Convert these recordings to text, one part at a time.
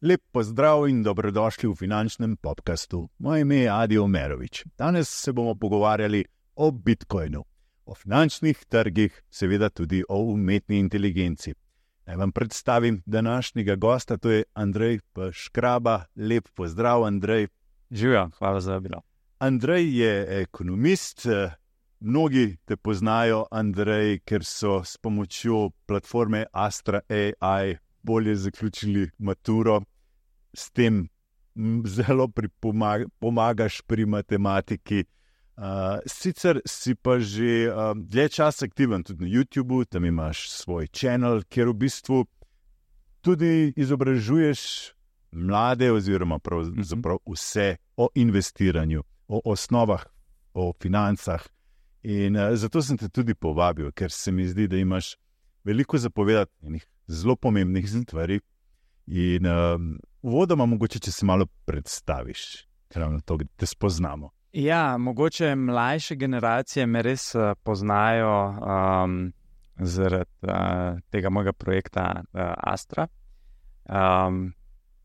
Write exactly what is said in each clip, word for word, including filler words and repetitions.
Lep pozdrav in dobrodošli v finančnem podcastu. Moje ime je Adi Omerovič. Danes se bomo pogovarjali o Bitcoinu, o finančnih trgih, seveda tudi o umetni inteligenci. Naj vam predstavim današnjega gosta, to je Andrej P. Škraba. Lep pozdrav, Andrej. Živjo, hvala za vabilo. Andrej je ekonomist. Mnogi te poznajo, Andrej, ker so s pomočjo platforme Astra A I bolje zaključili maturo. S tem zelo pripomag- pomagaš pri matematiki. Uh, sicer si pa že uh, dlje časa aktiven tudi na YouTubu, tam imaš svoj channel, kjer v bistvu tudi izobražuješ mlade oziroma pravzaprav vse o investiranju, o osnovah, o financah. In uh, zato sem te tudi povabil, ker se mi zdi, da imaš veliko zapovedati enih zelo pomembnih stvari. In uh, uvodoma mogoče, če se malo predstaviš, ravno to, da te spoznamo. Ja, mogoče mlajše generacije me res uh, poznajo um, zaradi uh, tega mojega projekta uh, Astra. Um,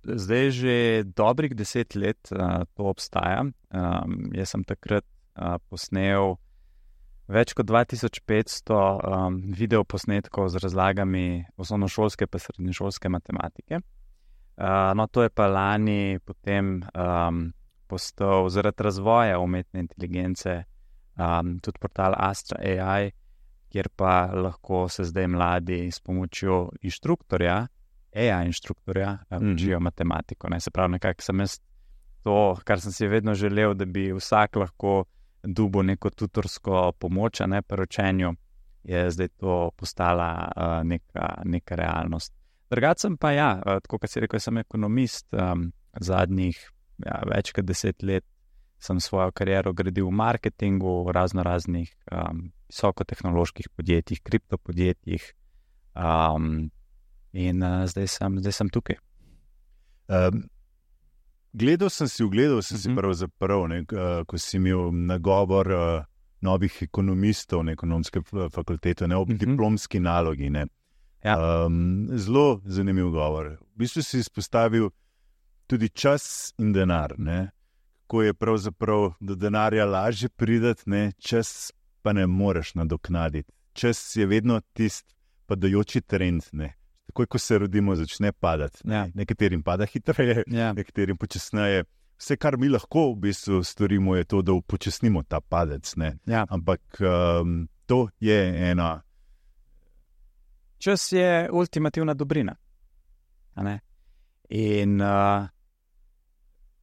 zdaj že dobrih deset let uh, to obstaja. Um, jaz sem takrat uh, posnel več kot dva tisoč petsto um, videoposnetkov z razlagami osnovnošolske pa srednješolske matematike. Uh, no, to je pa lani potem um, postal zaradi razvoja umetne inteligence um, tudi portal Astra A I, kjer pa lahko se zdaj mladi s pomočjo inštruktorja, A I inštruktorja, um, učijo mm-hmm. matematiko. Ne? Se pravi, nekako sem jaz to, kar sem si vedno želel, da bi vsak lahko dobil neko tutorsko pomoč, a ne pri učenju, je zdaj to postala uh, neka, neka realnost. Drugače sem pa ja, uh, tako kot si rekel, sem ekonomist, um, zadnjih ja, več kot deset let sem svojo kariero gradil v marketingu, v razno raznih um, visokotehnoloških podjetjih, kriptopodjetjih um, in uh, zdaj, sem, zdaj sem tukaj. Um, gledal sem si, ugledal sem si pravzaprav, ne, ko si imel nagovor uh, novih ekonomistov na ekonomske fakultete, ne, ob diplomski nalogi. Ne. Ja. Um, zelo zanimiv govor. V bistvu si izpostavil tudi čas in denar, ne? Ko je pravzaprav do denarja lažje prideti, ne? Čas pa ne moreš nadoknaditi. Čas je vedno tisti padajoči trend, ne? Takoj, ko se rodimo, začne padati. Ja. Nekaterim pada hitreje, ja. nekaterim počasneje. Vse, kar mi lahko v bistvu storimo, je to, da upočasnimo ta padec, ne? Ja. Ampak um, to je ena... Čas je ultimativna dobrina. A ne? In... Uh...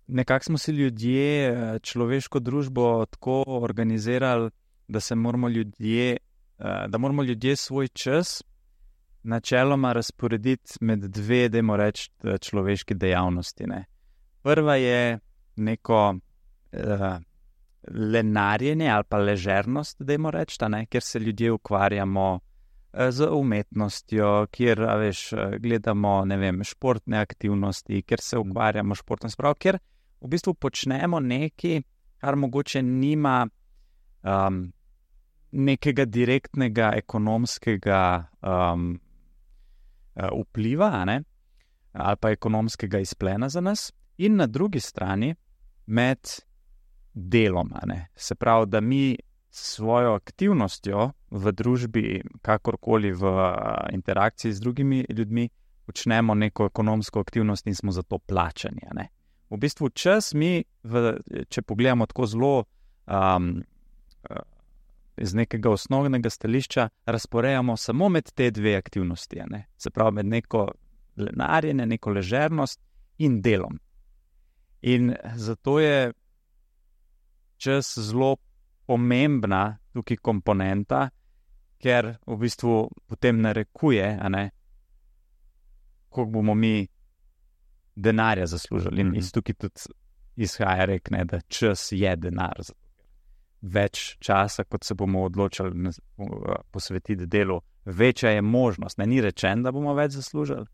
Nekako smo si ljudje, človeško družbo tako organizirali, da se moramo ljudje, da moramo ljudje svoj čas načeloma razporediti med dve, dajmo reči, človeški dejavnosti. Ne. Prva je neko uh, lenarjenje ali pa ležernost, dajmo reči, ne, kjer se ljudje ukvarjamo uh, z umetnostjo, kjer a veš, gledamo ne vem, športne aktivnosti, kjer se ukvarjamo športno spravo, kjer v bistvu počnemo nekaj, kar mogoče nima um, nekega direktnega ekonomskega um, vpliva, ne? Ali pa ekonomskega izplena za nas. In na drugi strani med delom, ne? Se pravi, da mi svojo aktivnostjo v družbi, kakorkoli v interakciji z drugimi ljudmi, počnemo neko ekonomsko aktivnost in smo za to plačani, ne? V bistvu čas mi, v, če pogledamo tako zelo um, iz nekega osnovnega stališča, razporejamo samo med te dve aktivnosti. Ne? Se pravi, med neko lenarjenje, neko ležernost in delom. In zato je čas zelo pomembna tukaj komponenta, ker v bistvu potem narekuje, a ne, koliko bomo mi denarja zaslužili. In iz tukaj tudi izhaja rek, ne, da čas je denar. Več časa, kot se bomo odločili posvetiti delu, večja je možnost. Ne, ni rečen, da bomo več zaslužili,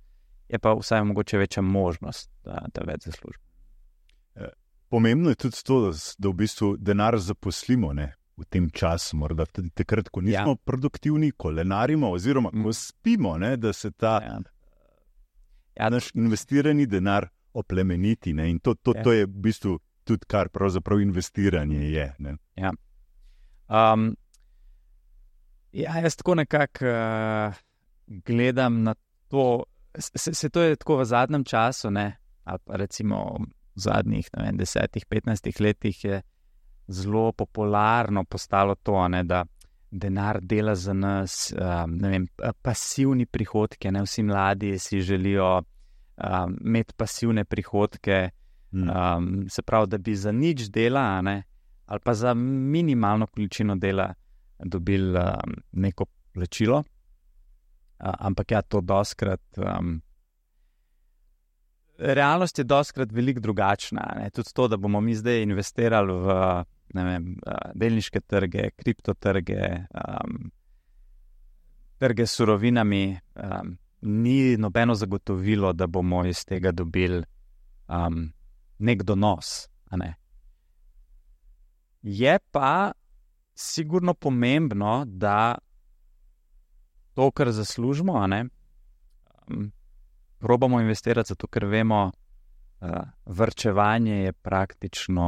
je pa vsaj mogoče večja možnost, da, da več zaslužimo. Pomembno je tudi to, da, da v bistvu denar zaposlimo, ne? v tem času, morda tudi takrat, ko nismo Ja. produktivni, ko lenarimo, oziroma Mm. ko spimo, ne, da se ta Ja. Ja, naš investirani denar oplemeniti. Ne, in to, to, Ja. to je v bistvu tudi, kar pravzaprav investiranje je. Ne. Um, ja, jaz tako nekako uh, gledam na to, se, se to je tako v zadnjem času, ne, ali pa recimo v zadnjih ne vem, desetih, petnajstih letih je zelo popularno postalo to, ne, da denar dela za nas, um, ne vem, pasivni prihodke, ne, vsi mladi si želijo um, imeti pasivne prihodke, Mm. um, se pravi, da bi za nič dela, a ne, ali pa za minimalno količino dela dobili um, neko plačilo. Uh, ampak ja, to doskrat. Um, realnost je doskrat veliko drugačna. Ne? Tudi to, da bomo mi zdaj investirali v ne vem, uh, delniške trge, kriptotrge, um, trge s surovinami, um, ni nobeno zagotovilo, da bomo iz tega dobili um, nek donos. A ne? Je pa sigurno pomembno, da to, kar zaslužimo, a ne, um, probamo investirati, zato ker vemo, uh, varčevanje je praktično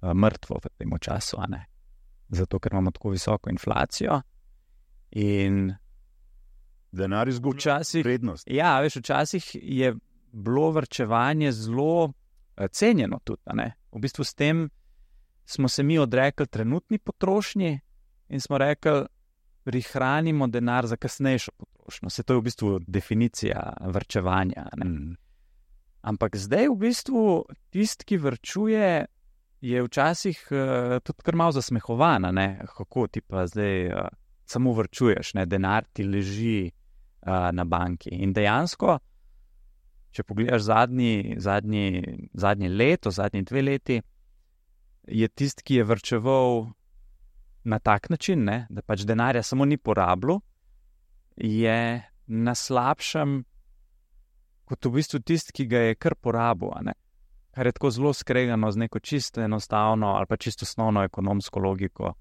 uh, mrtvo v tem času, a ne, zato ker imamo tako visoko inflacijo in Denar izgublja včasih, vrednost. ja, veš, včasih je bilo varčevanje zelo uh, cenjeno tudi, a ne. V bistvu s tem smo se mi odrekli trenutni potrošnji in smo rekli, prihranimo denar za kasnejšo potrošnjo. Se to je v bistvu definicija varčevanja. Ne? Mm. Ampak zdaj v bistvu tisti, ki varčuje, je včasih uh, tudi kar malo zasmehovana. Ne? Kako ti pa zdaj uh, samo varčuješ, ne? Denar ti leži uh, na banki. In dejansko, če pogledaš zadnji, zadnji, zadnji leto, zadnji dve leti, je tisti, ki je varčeval na tak način, ne, da pač denarja samo ni porabljal, je na slabšem kot v bistvu tisti, ki ga je kar porabil, a ne. Kar je tako zelo skregano z neko čisto enostavno ali pa čisto osnovno ekonomsko logiko,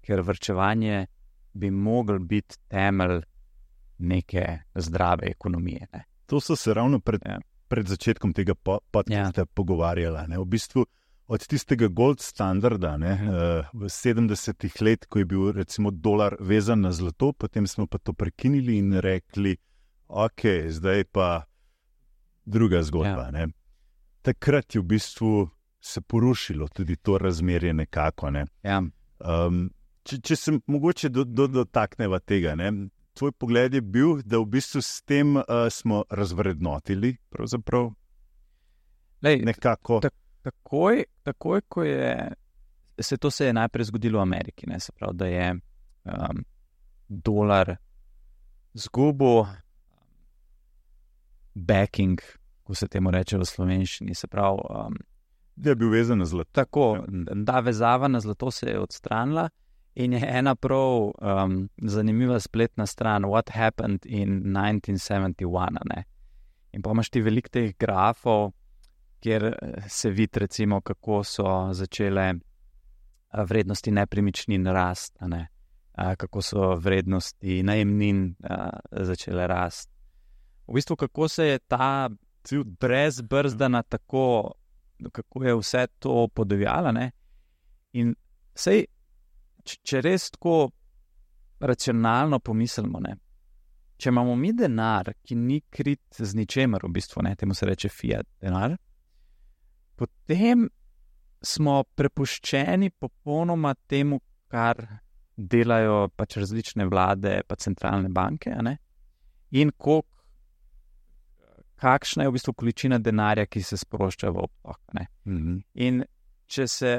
ker varčevanje bi mogel biti temelj neke zdrave ekonomije. Ne. To so se ravno pred, Ja. pred začetkom tega po- podcasta pogovarjala. Ne. V bistvu od tistega gold standarda ne, uh, v sedemdesetih let, ko je bil recimo dolar vezan na zlato, potem smo pa to prekinili in rekli, ok, zdaj pa druga zgodba. Ja. Ne. Takrat je v bistvu se porušilo tudi to razmerje nekako. Ne. Ja. Um, če, če se mogoče do, do, dotakneva tega, ne. Tvoj pogled je bil, da v bistvu s tem uh, smo razvrednotili pravzaprav Lej, nekako. tak- Takoj, takoj, ko je se to se je najprej zgodilo v Ameriki, ne, se pravi, da je um, dolar zgubil backing, ko se temu reče v slovenščini, se pravi, um, Da je bil vezan na zlato. tako, da vezava na zlato se je odstranila in je ena prav um, zanimiva spletna stran What Happened in nineteen seventy-one, ne. In pa imaš ti veliko teh grafov, kjer se vidi, recimo, kako so začele a, vrednosti nepremičnin rasti, a ne? A, kako so vrednosti najemnin a, začele rasti. V bistvu, kako se je ta brezbrzdana tako, kako je vse to podivjalo, ne? In sej, če, če res tako racionalno pomislimo, ne? Če imamo mi denar, ki ni krit z ničemer, v bistvu, ne? Temu se reče fiat denar, potem smo prepuščeni popolnoma temu, kar delajo pač različne vlade, pa centralne banke, a ne? In kolik, kakšna je v bistvu količina denarja, ki se sprošča v obtok. Ne? Mhm. In če se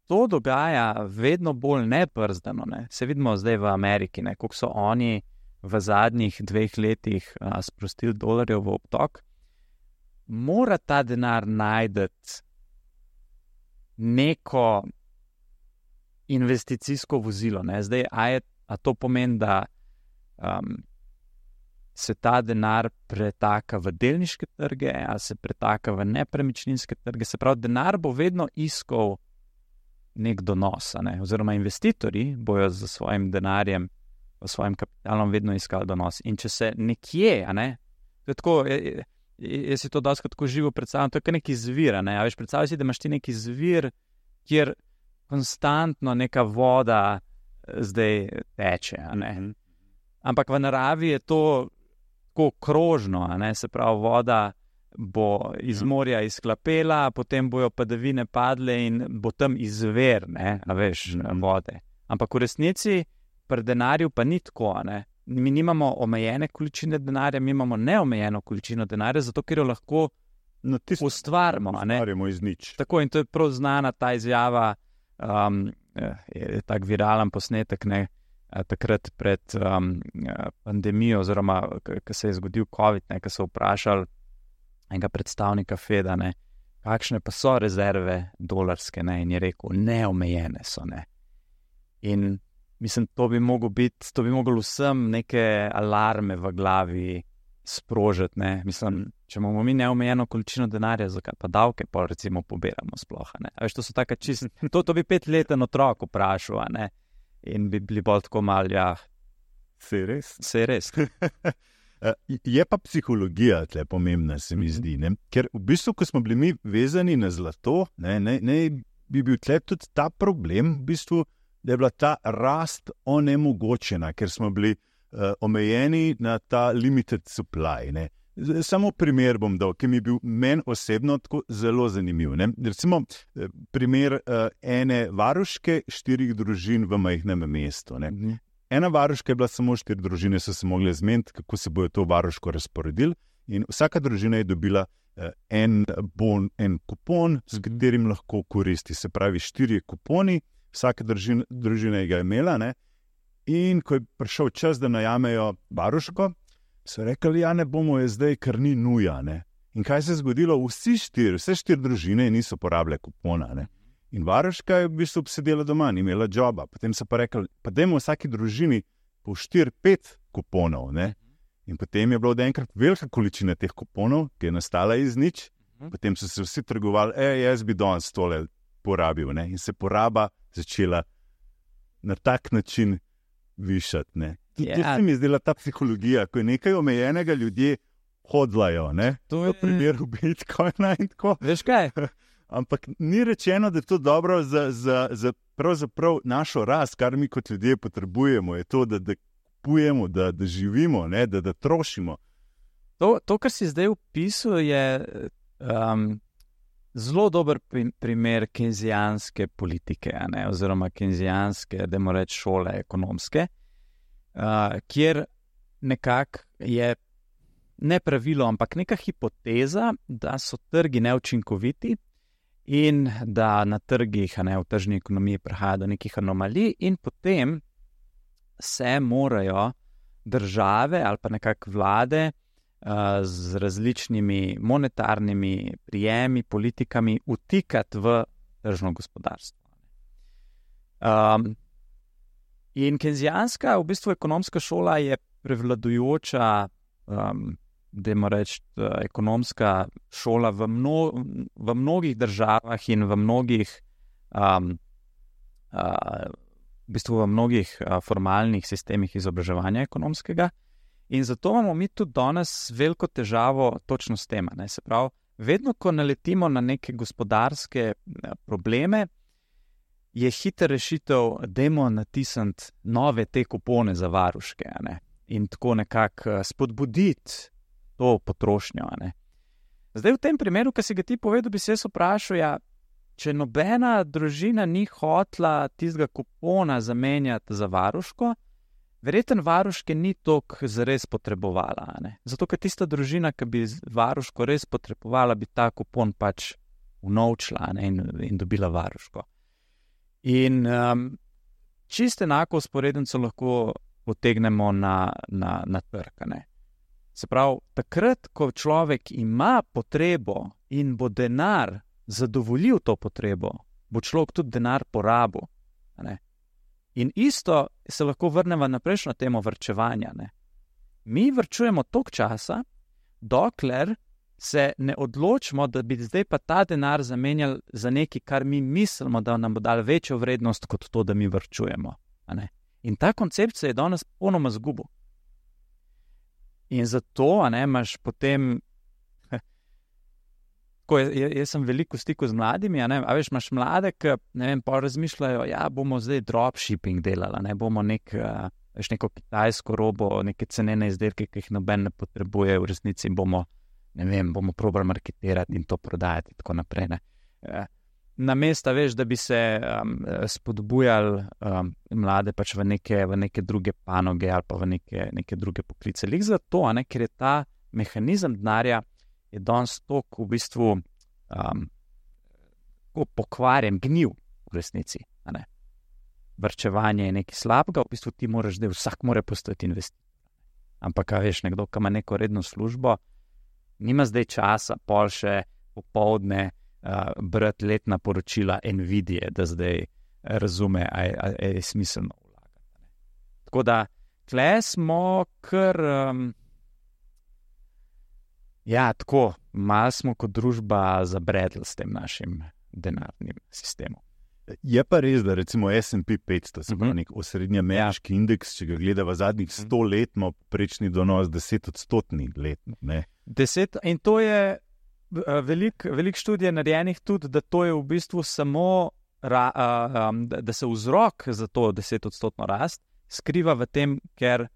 to dogaja vedno bolj nebrzdano, ne? Se vidimo zdaj v Ameriki, ne? Koliko so oni v zadnjih dveh letih a, sprostili dolarjev v obtok, mora ta denar najti neko investicijsko vozilo. Ne? Zdaj, a, je, a to pomeni, da um, se ta denar pretaka v delniške trge, ali se pretaka v nepremičninske trge. Se pravi, denar bo vedno iskal nek donos, ne? Oziroma investitorji bojo z svojim denarjem, s svojim kapitalom vedno iskali donos. In če se nekje, a ne, to je tako, jaz si to dosti tako živo predstavljam, to je kaj neki zvir, ne, a veš, predstavljaj si, da imaš ti neki zvir, kjer konstantno neka voda zdaj teče, a ne. Mm-hmm. Ampak v naravi je to tako krožno, a ne, se pravi, voda bo iz morja izklapela, potem bojo padavine padle in bo tam izver, ne, a veš, mm-hmm. vode. Ampak v resnici pri denarju pa ni tako, ne. Mi nimamo omejene količine denarja, mi imamo neomejeno količino denarja, zato ker jo lahko no, ustvarimo. Ustvarimo iz nič. Tako, in to je prav znana ta izjava, um, je tak viralen posnetek, ne, takrat pred um, pandemijo, oziroma ko se je zgodil COVID, ne, ko so vprašali enega predstavnika Feda, ne, kakšne pa so rezerve dolarske, ne, in je rekel, neomejene so, ne. In mislim, to bi moglo biti, to bi moglo vsem neke alarme v glavi sprožiti, ne. Mislim, če imamo mi neomejeno količino denarja, zakaj pa davke pa recimo pobiramo sploh, ne. A veš, to so taka čist, to, to bi petleten otrok vprašal, ne. In bi bili bolj tako mal, ja. Se res? Se res. Je pa psihologija tle pomembna, se mi zdi, ne. Ker v bistvu, ko smo bili mi vezani na zlato, ne, ne, ne bi bil tle tudi ta problem, v bistvu, da je bila ta rast onemogočena, ker smo bili uh, omejeni na ta limited supply. Ne. Samo primer bom dal, ki mi je bil meni osebno tako zelo zanimiv. Ne. Recimo primer uh, ene varuške štirih družin v majhnem mestu. Ne. Mm. Ena varuška je bila samo štiri družine, so se mogli zmeniti, kako se bojo to varuško razporedili, in vsaka družina je dobila uh, en bon, en kupon, s katerim lahko koristi. Se pravi, štiri kuponi, vsaka družina, družina je ga imela, ne? In ko je prišel čas, da najamejo varuško, so rekli, ja, ne bomo je zdaj, ker ni nuja, ne? In kaj se je zgodilo? Vsi štiri, vse štiri družine niso porabile kupona, ne? In varuška je v bistvu obsedela doma, ni imela džoba. Potem so pa rekli, pa dajmo vsaki družini po štiri, pet kuponov, ne? In potem je bila od enkrat velika količina teh kuponov, ki je nastala iz nič, potem so se vsi trgovali, e, jaz bi danes tole porabil, ne? In se poraba začela na tak način višati, ne. Yeah. To se mi je zdela ta psihologija, ko je nekaj omejenega, ljudje hodlajo, ne. To je primer v Bitcoina in tako. Veš kaj? Ampak ni rečeno, da je to dobro za, za, za pravzaprav našo rast, kar mi kot ljudje potrebujemo, je to, da, da kupujemo, da, da živimo, ne, da, da trošimo. To, to, kar si zdaj opisal, je um, zelo dober primer keynesijanske politike, ne, oziroma keynesijanske, da moramo reči, šole ekonomske, uh, kjer nekako je ne pravilo, ampak neka hipoteza, da so trgi neučinkoviti in da na trgih, ne, v tržni ekonomiji prihaja do nekih anomalij, in potem se morajo države ali pa nekako vlade uh, z različnimi monetarnimi prijemi, politikami vtikati v tržno gospodarstvo. Um, in keynesijanska, v bistvu ekonomska šola je prevladujoča, um, dajmo reči, ekonomska šola v, mno, v mnogih državah in v mnogih um, uh, v bistvu v mnogih uh, formalnih sistemih izobraževanja ekonomskega, in zato imamo mi tudi danes veliko težavo točno s tem. Ne? Se pravi, vedno, ko naletimo na neke gospodarske probleme, je hiter rešitev, dajmo natisniti nove te kupone za varuške, ne? In tako nekako spodbuditi to potrošnjo. Ne? Zdaj v tem primeru, ki si ga ti povedal, bi se jaz vprašal, ja, če nobena družina ni hotla tistega kupona zamenjati za varuško, verjetno varuške ni toliko zares potrebovala. Ne? Zato, ker tista družina, ki bi varuško res potrebovala, bi ta kupon pač unovčila, ne? in, in dobila varuško. In um, čisto enako vzporednico lahko potegnemo na, na, na trg. Ne? Se pravi, takrat, ko človek ima potrebo in bo denar zadovoljil to potrebo, bo človek tudi denar porabil. Ne? In isto se lahko vrnemo na prejšnjo temo varčevanja. Ne? Mi varčujemo toliko časa, dokler se ne odločimo, da bi zdaj pa ta denar zamenjali za nekaj, kar mi mislimo, da nam bo dal večjo vrednost, kot to, da mi varčujemo. A ne? In ta koncept se je danes ponoma zgubil. In zato, a ne, imaš potem, ko je, jaz sem veliko v stiku z mladimi, a, ne, a veš, imaš mlade, ki, ne vem, pa razmišljajo, ja, bomo zdaj dropshipping delali, ne, bomo nek, veš, neko kitajsko robo, neke cenene izdelke, ki jih noben ne potrebuje, v resnici bomo, ne vem, bomo probali marketirati in to prodajati in tako naprej, ne. Namesto, veš, da bi se um, spodbujali um, mlade pač v neke, v neke druge panoge ali pa v neke, neke druge poklice. Lik zato, a ne, ker je ta mehanizem denarja je danes toliko v bistvu um, pokvarjen, gnil v resnici. A ne. Varčevanje je nekaj slabega, v bistvu ti moraš, da vsak mora postati investitor. Ampak, a veš, nekdo, ki ima neko redno službo, nima zdaj časa, pol še popoldne, Uh, brati letna poročila Nvidie, da zdaj razume, a je, a je smiselno vlagati. Tako da, tle smo kar, um, ja, tako, malo smo kot družba zabredli s tem našim denarnim sistemom. Je pa res, da recimo S and P petsto, se pravi uh-huh. nek osrednji ameriški ja. indeks, če ga gleda v zadnjih sto let, ima prečni donos deset odstotni letno. Ne? Deset, in to je Veliko velik študij je narejenih tudi, da to je v bistvu samo, ra, um, da se vzrok za to desetodstotno rast skriva v tem, ker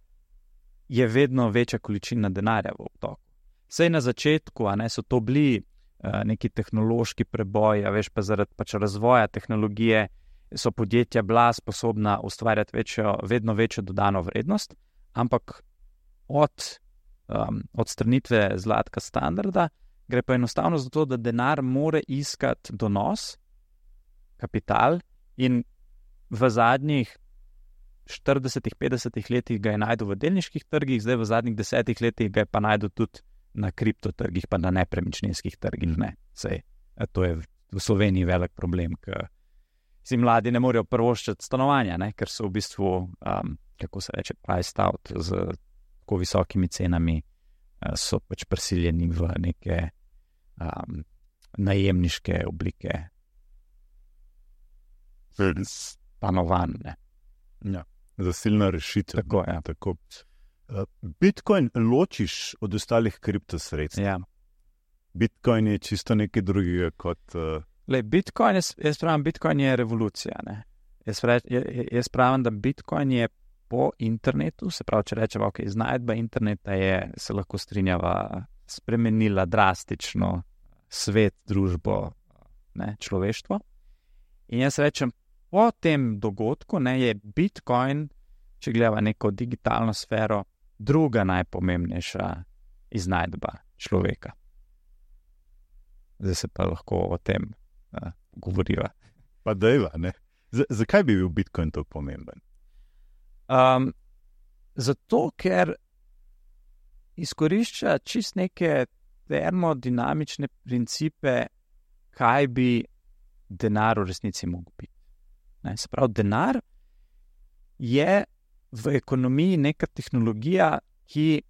je vedno večja količina denarja v obtoku. Sej na začetku, a ne, so to bili uh, neki tehnološki preboji, a veš, pa zaradi pač razvoja tehnologije so podjetja bila sposobna ustvarjati večjo, vedno večjo dodano vrednost, ampak od um, odstranitve zlatka standarda gre pa enostavno zato, da denar more iskati donos, kapital, in v zadnjih štiridesetih, petdesetih letih ga je najdel v delniških trgih, zdaj v zadnjih desetih letih ga je pa najdel tudi na kriptotrgih, pa na nepremičninskih trgih. Ne. Sej, to je v Sloveniji velik problem, ker si mladi ne morejo privoščiti stanovanja, ne, ker so v bistvu, um, kako se reče, priced out z tako visokimi cenami, so pač prisiljeni v neke um, najemniške oblike stanovanj. Ja, zasilna rešitev. Tako, ja. Tako. Bitcoin ločiš od ostalih kriptosredstv. Ja. Bitcoin je čisto nekaj drugega kot... Uh... Lej, Bitcoin, jaz, jaz pravim, Bitcoin je revolucija. Ne? Jaz, jaz pravim, da Bitcoin je po internetu, se pravi, če rečemo, ok, iznajdba interneta je, se lahko strinjava, spremenila drastično svet, družbo, ne, človeštvo. In jaz rečem, po tem dogodku, ne, je Bitcoin, če gledava neko digitalno sfero, druga najpomembnejša iznajdba človeka. Zdaj se pa lahko o tem uh, govoriva. Pa dejva, ne? Z- zakaj bi bil Bitcoin tako pomemben? Um, zato, ker izkorišča čist neke termodinamične principe, kaj bi denar v resnici mogel biti. Ne, se pravi, denar je v ekonomiji neka tehnologija, ki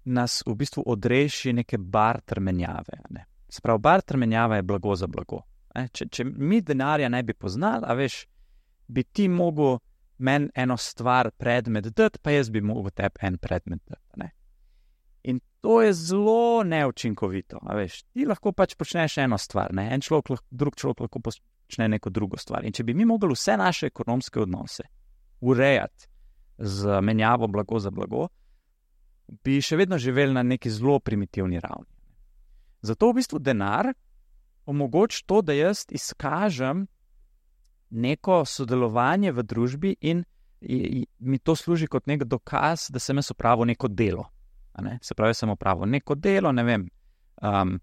nas v bistvu odreši neke barter menjave. Ne. Se pravi, barter menjava je blago za blago. Ne. Če, če mi denarja ne bi poznali, a veš, bi ti mogel meni eno stvar, predmet dati, pa jaz bi mogel tebi en predmet dati. Ne? In to je zelo neučinkovito. A veš, ti lahko pač počneš eno stvar, ne? En človek, drug človek lahko počne neko drugo stvar. In če bi mi mogli vse naše ekonomske odnose urejati z menjavo blago za blago, bi še vedno živeli na neki zelo primitivni ravni. Zato v bistvu denar omogoča to, da jaz izkažem neko sodelovanje v družbi in, in mi to služi kot nek dokaz, da sem jaz opravil neko delo. A ne? Se pravi, sem opravil neko delo, ne vem, um,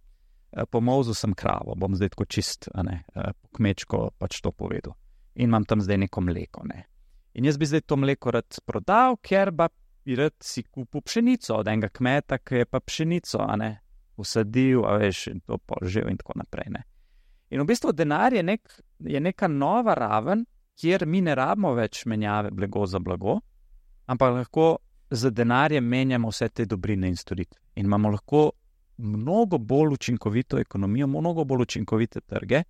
pomolzil sem kravo, bom zdaj tako čist, a ne, kmečko pač to povedal. In imam tam zdaj neko mleko. Ne? In jaz bi zdaj to mleko rad prodal, ker pa bi rad si kupil pšenico od enega kmeta, ki je pa pšenico, a ne, usadil, a veš, in to požel in tako naprej, ne. In v bistvu denar je, nek, je neka nova raven, kjer mi ne rabimo več menjave blago za blago, ampak lahko z denarjem menjamo vse te dobrine in storitve. In imamo lahko mnogo bolj učinkovito ekonomijo, mnogo bolj učinkovite trge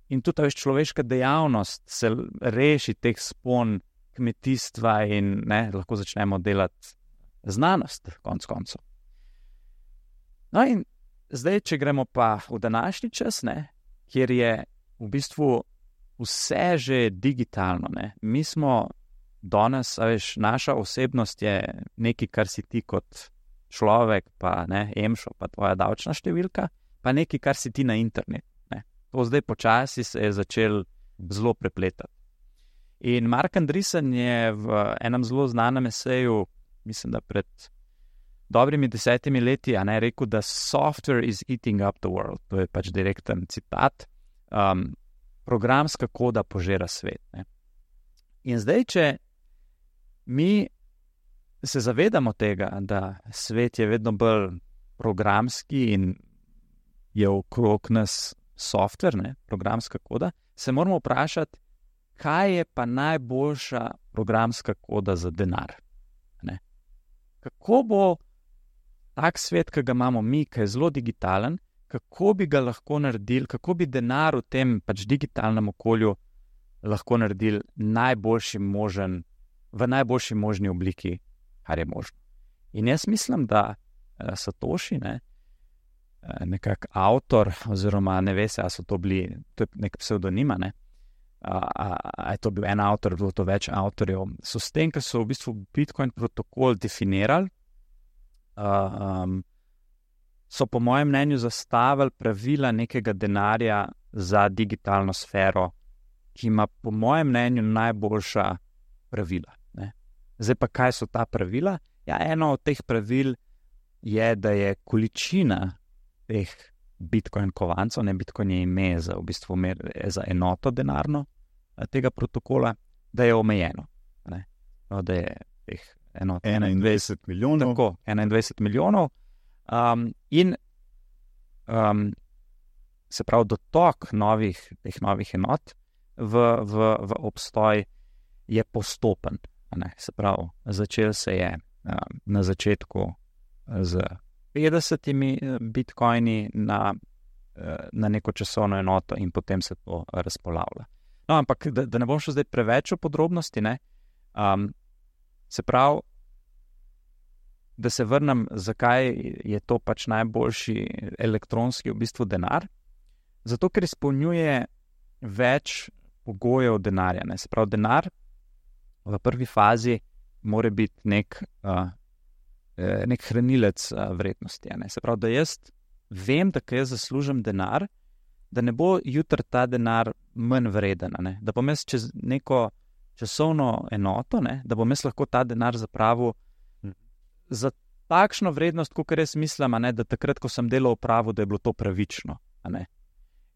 in tudi veš, človeška dejavnost se reši teh spon kmetijstva in ne, lahko začnemo delati znanost, konc koncev. No in zdaj, če gremo pa v današnji čas, ne, kjer je v bistvu vse že digitalno, ne. Mi smo danes, a veš, naša osebnost je nekaj, kar si ti kot človek, pa ne, emšo, pa tvoja davčna številka, pa nekaj, kar si ti na internetu. To zdaj počasi se je začel zelo prepletati. In Mark Andreessen je v enem zelo znanem eseju, mislim, da pred dobrimi desetimi leti, a ne, rekel, da software is eating up the world. To je pač direkten citat. Um, programska koda požera svet. Ne. In zdaj, če mi se zavedamo tega, da svet je vedno bolj programski in je okrog nas software, ne, programska koda, se moramo vprašati, kaj je pa najboljša programska koda za denar. Ne. Kako bo tak svet, ki ga imamo mi, ki je zelo digitalen, kako bi ga lahko naredili, kako bi denar v tem pač digitalnem okolju lahko naredili najboljši možen, v najboljši možni obliki, kar je možno. In jaz mislim, da uh, Satoshi, ne, nekak avtor, oziroma ne ve se, a so to bili, to je nek psevdonima, ne, a, a, a je to bil en avtor, bilo to več avtorjev, so s tem, ker so v bistvu Bitcoin protokol definirali, a, um, so po mojem mnenju zastavili pravila nekega denarja za digitalno sfero, ki ima po mojem mnenju najboljša pravila. Ne. Zdaj pa, kaj so ta pravila? Ja, eno od teh pravil je, da je količina teh Bitcoin kovancov, ne, Bitcoin je ime za, v bistvu mer, za enoto denarno tega protokola, da je omejeno. Ne. No, da je teh enot enaindvajset milijonov. Tako, enaindvajset milijonov. Um, in um, se pravi, dotok novih, teh novih enot v, v, v obstoj je postopen. Ne. Se pravi, začel se je um, na začetku z petdesetimi bitcoini na, na neko časovno enoto in potem se to razpolavlja. No, ampak da, da ne bom šel zdaj preveč v podrobnosti, ne, um, se pravi, da se vrnem, zakaj je to pač najboljši elektronski v bistvu denar, zato ker izpolnjuje več pogojev denarja. Ne. Se pravi, denar v prvi fazi mora biti nek uh, nek hranilec vrednosti. Ne. Se pravi, da jaz vem, da kaj jaz zaslužim denar, da ne bo jutri ta denar manj vreden. Ne. Da bom jaz čez neko časovno enoto, ne, da bom jaz lahko ta denar zapravil hm. za takšno vrednost, kakor jaz mislim, ne, da takrat, ko sem delal upravo, da je bilo to pravično. Ne.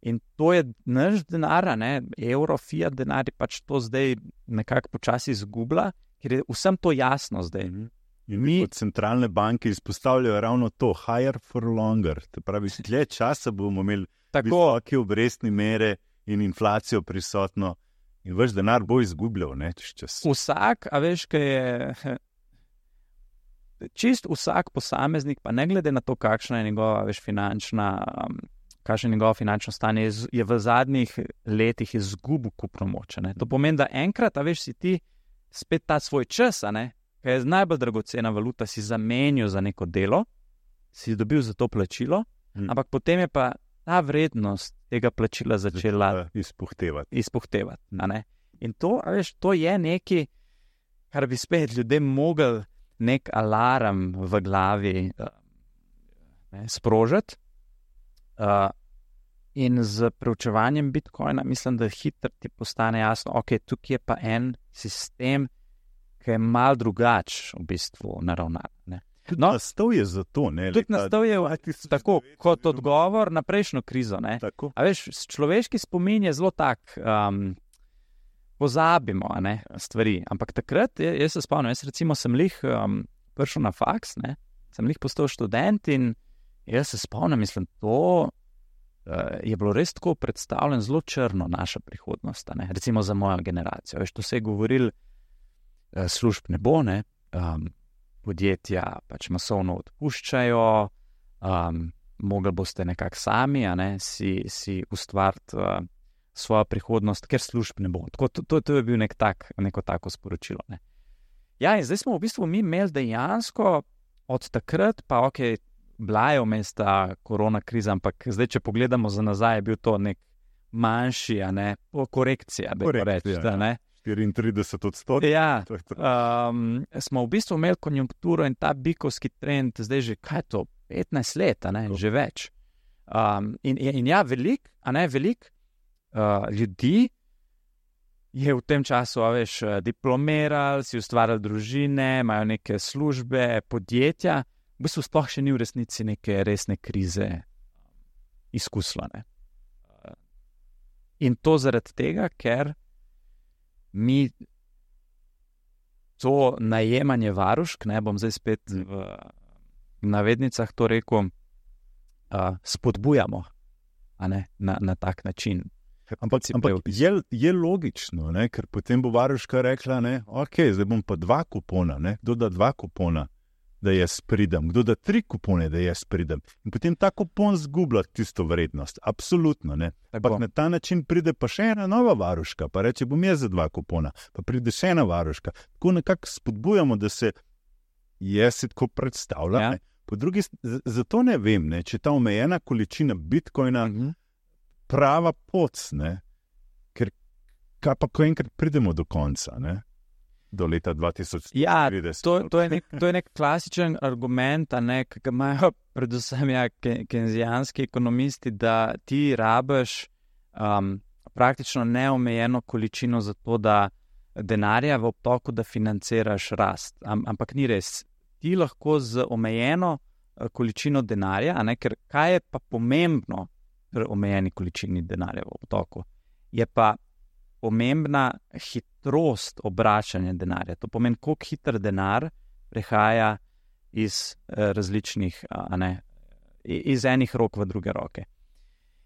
In to je naš denar, ne, evro, fiat denar je pač to zdaj nekako počasi izgubila, ker je vsem to jasno zdaj. Hm. In mi kot centralne banke izpostavljajo ravno to, higher for longer. To pravi, dlje časa bomo imeli visoke obrestne mere in inflacijo prisotno in vaš denar bo izgubljal, ne, čez čas. Vsak, a veš, kaj je, čist vsak posameznik, pa ne glede na to, kakšna je njegova, veš, finančna, um, kakšno je njegovo finančno stanje, je, je v zadnjih letih izgubil kupno moč. Ne. To pomeni, da enkrat, a veš, si ti spet ta svoj čas, a ne, kaj je najbolj dragocena valuta, si zamenil za neko delo, si dobil za to plačilo, hmm. ampak potem je pa ta vrednost tega plačila začela izpuhtevati. izpuhtevati hmm. In to, a veš, to je nekaj, kar bi spet ljudem mogel nek alarm v glavi ne, sprožiti. Uh, in z preučevanjem Bitcoina mislim, da hitro ti postane jasno, ok, tukaj je pa en sistem, ki je malo drugač v bistvu naravnan. No, nastal je za to. Ne, tudi nastal je tako, kot odgovor na prejšnjo krizo. Ne. A veš, človeški spomin je zelo tak, um, pozabimo ne, stvari. Ampak takrat, jaz se spomnim, jaz recimo sem lih um, prišel na faks, ne, sem lih postal študent in jaz se spomnim, mislim, to uh, je bilo res tako predstavljeno zelo črno naša prihodnost, ne, recimo za mojo generacijo. Veš, to se je govoril, služb ne bo, ne, um, podjetja pač masovno odpuščajo, um, mogli boste nekako sami, a ne, si, si ustvariti uh, svojo prihodnost, ker služb ne bo. Tako, to, to je bil nek tak, neko tako sporočilo. Ne. Ja, in zdaj smo v bistvu mi imeli dejansko od takrat, pa ok, bila je vmes ta korona kriza, ampak zdaj, če pogledamo za nazaj, je bil to nek manjši, a ne, korekcija, da bi reči, da ne. štiriintrideset odstotkov. Ja, um, smo v bistvu imeli konjunkturo in ta bikovski trend, zdaj že, kaj je to, petnajst let, a ne, že več. Um, in, in ja, veliko, a ne, veliko uh, ljudi je v tem času, a veš, diplomirali, si ustvarjali družine, imajo neke službe, podjetja, v bistvu sploh še ni v resnici neke resne krize izkuslane. In to zaradi tega, ker mi to najemanje varušk, ne bom zdaj spet v navednicah to rekel, uh, spodbujamo, a ne, na, na tak način. Ampak, ampak je, je logično, ne? Ker potem bo varuška rekla, ne, ok, zdaj bom pa dva kupona, ne? Kdo da dva kupona, da jaz pridem, kdo da tri kupone, da jaz pridem. In potem ta kupon zgublja tisto vrednost, absolutno. Ne? Ampak na ta način pride pa še ena nova varuška, pa reče, bom jaz za dva kupona, pa pride še ena varuška. Tako nekako spodbujamo, da se jaz si tako predstavlja. Ja. Po drugi strani, zato ne vem, ne, če ta omejena količina bitcoina mhm. prava pot, ne? Ker kaj pa, ko enkrat pridemo do konca, ne? Do leta dva tisoč trideset. Ja, to, to, je nek, to je nek klasičen argument, a ne, ki ga imajo predvsem ja, kenzijanski ekonomisti, da ti rabiš um, praktično neomejeno količino za to, da denarja v obtoku, da financiraš rast. Am, ampak ni res. Ti lahko z omejeno količino denarja, a ne, ker kaj je pa pomembno pri omejeni količini denarja v obtoku, je pa pomembna hitrost obračanja denarja. To pomeni, koliko hiter denar prehaja iz eh, različnih, a ne, iz enih rok v druge roke.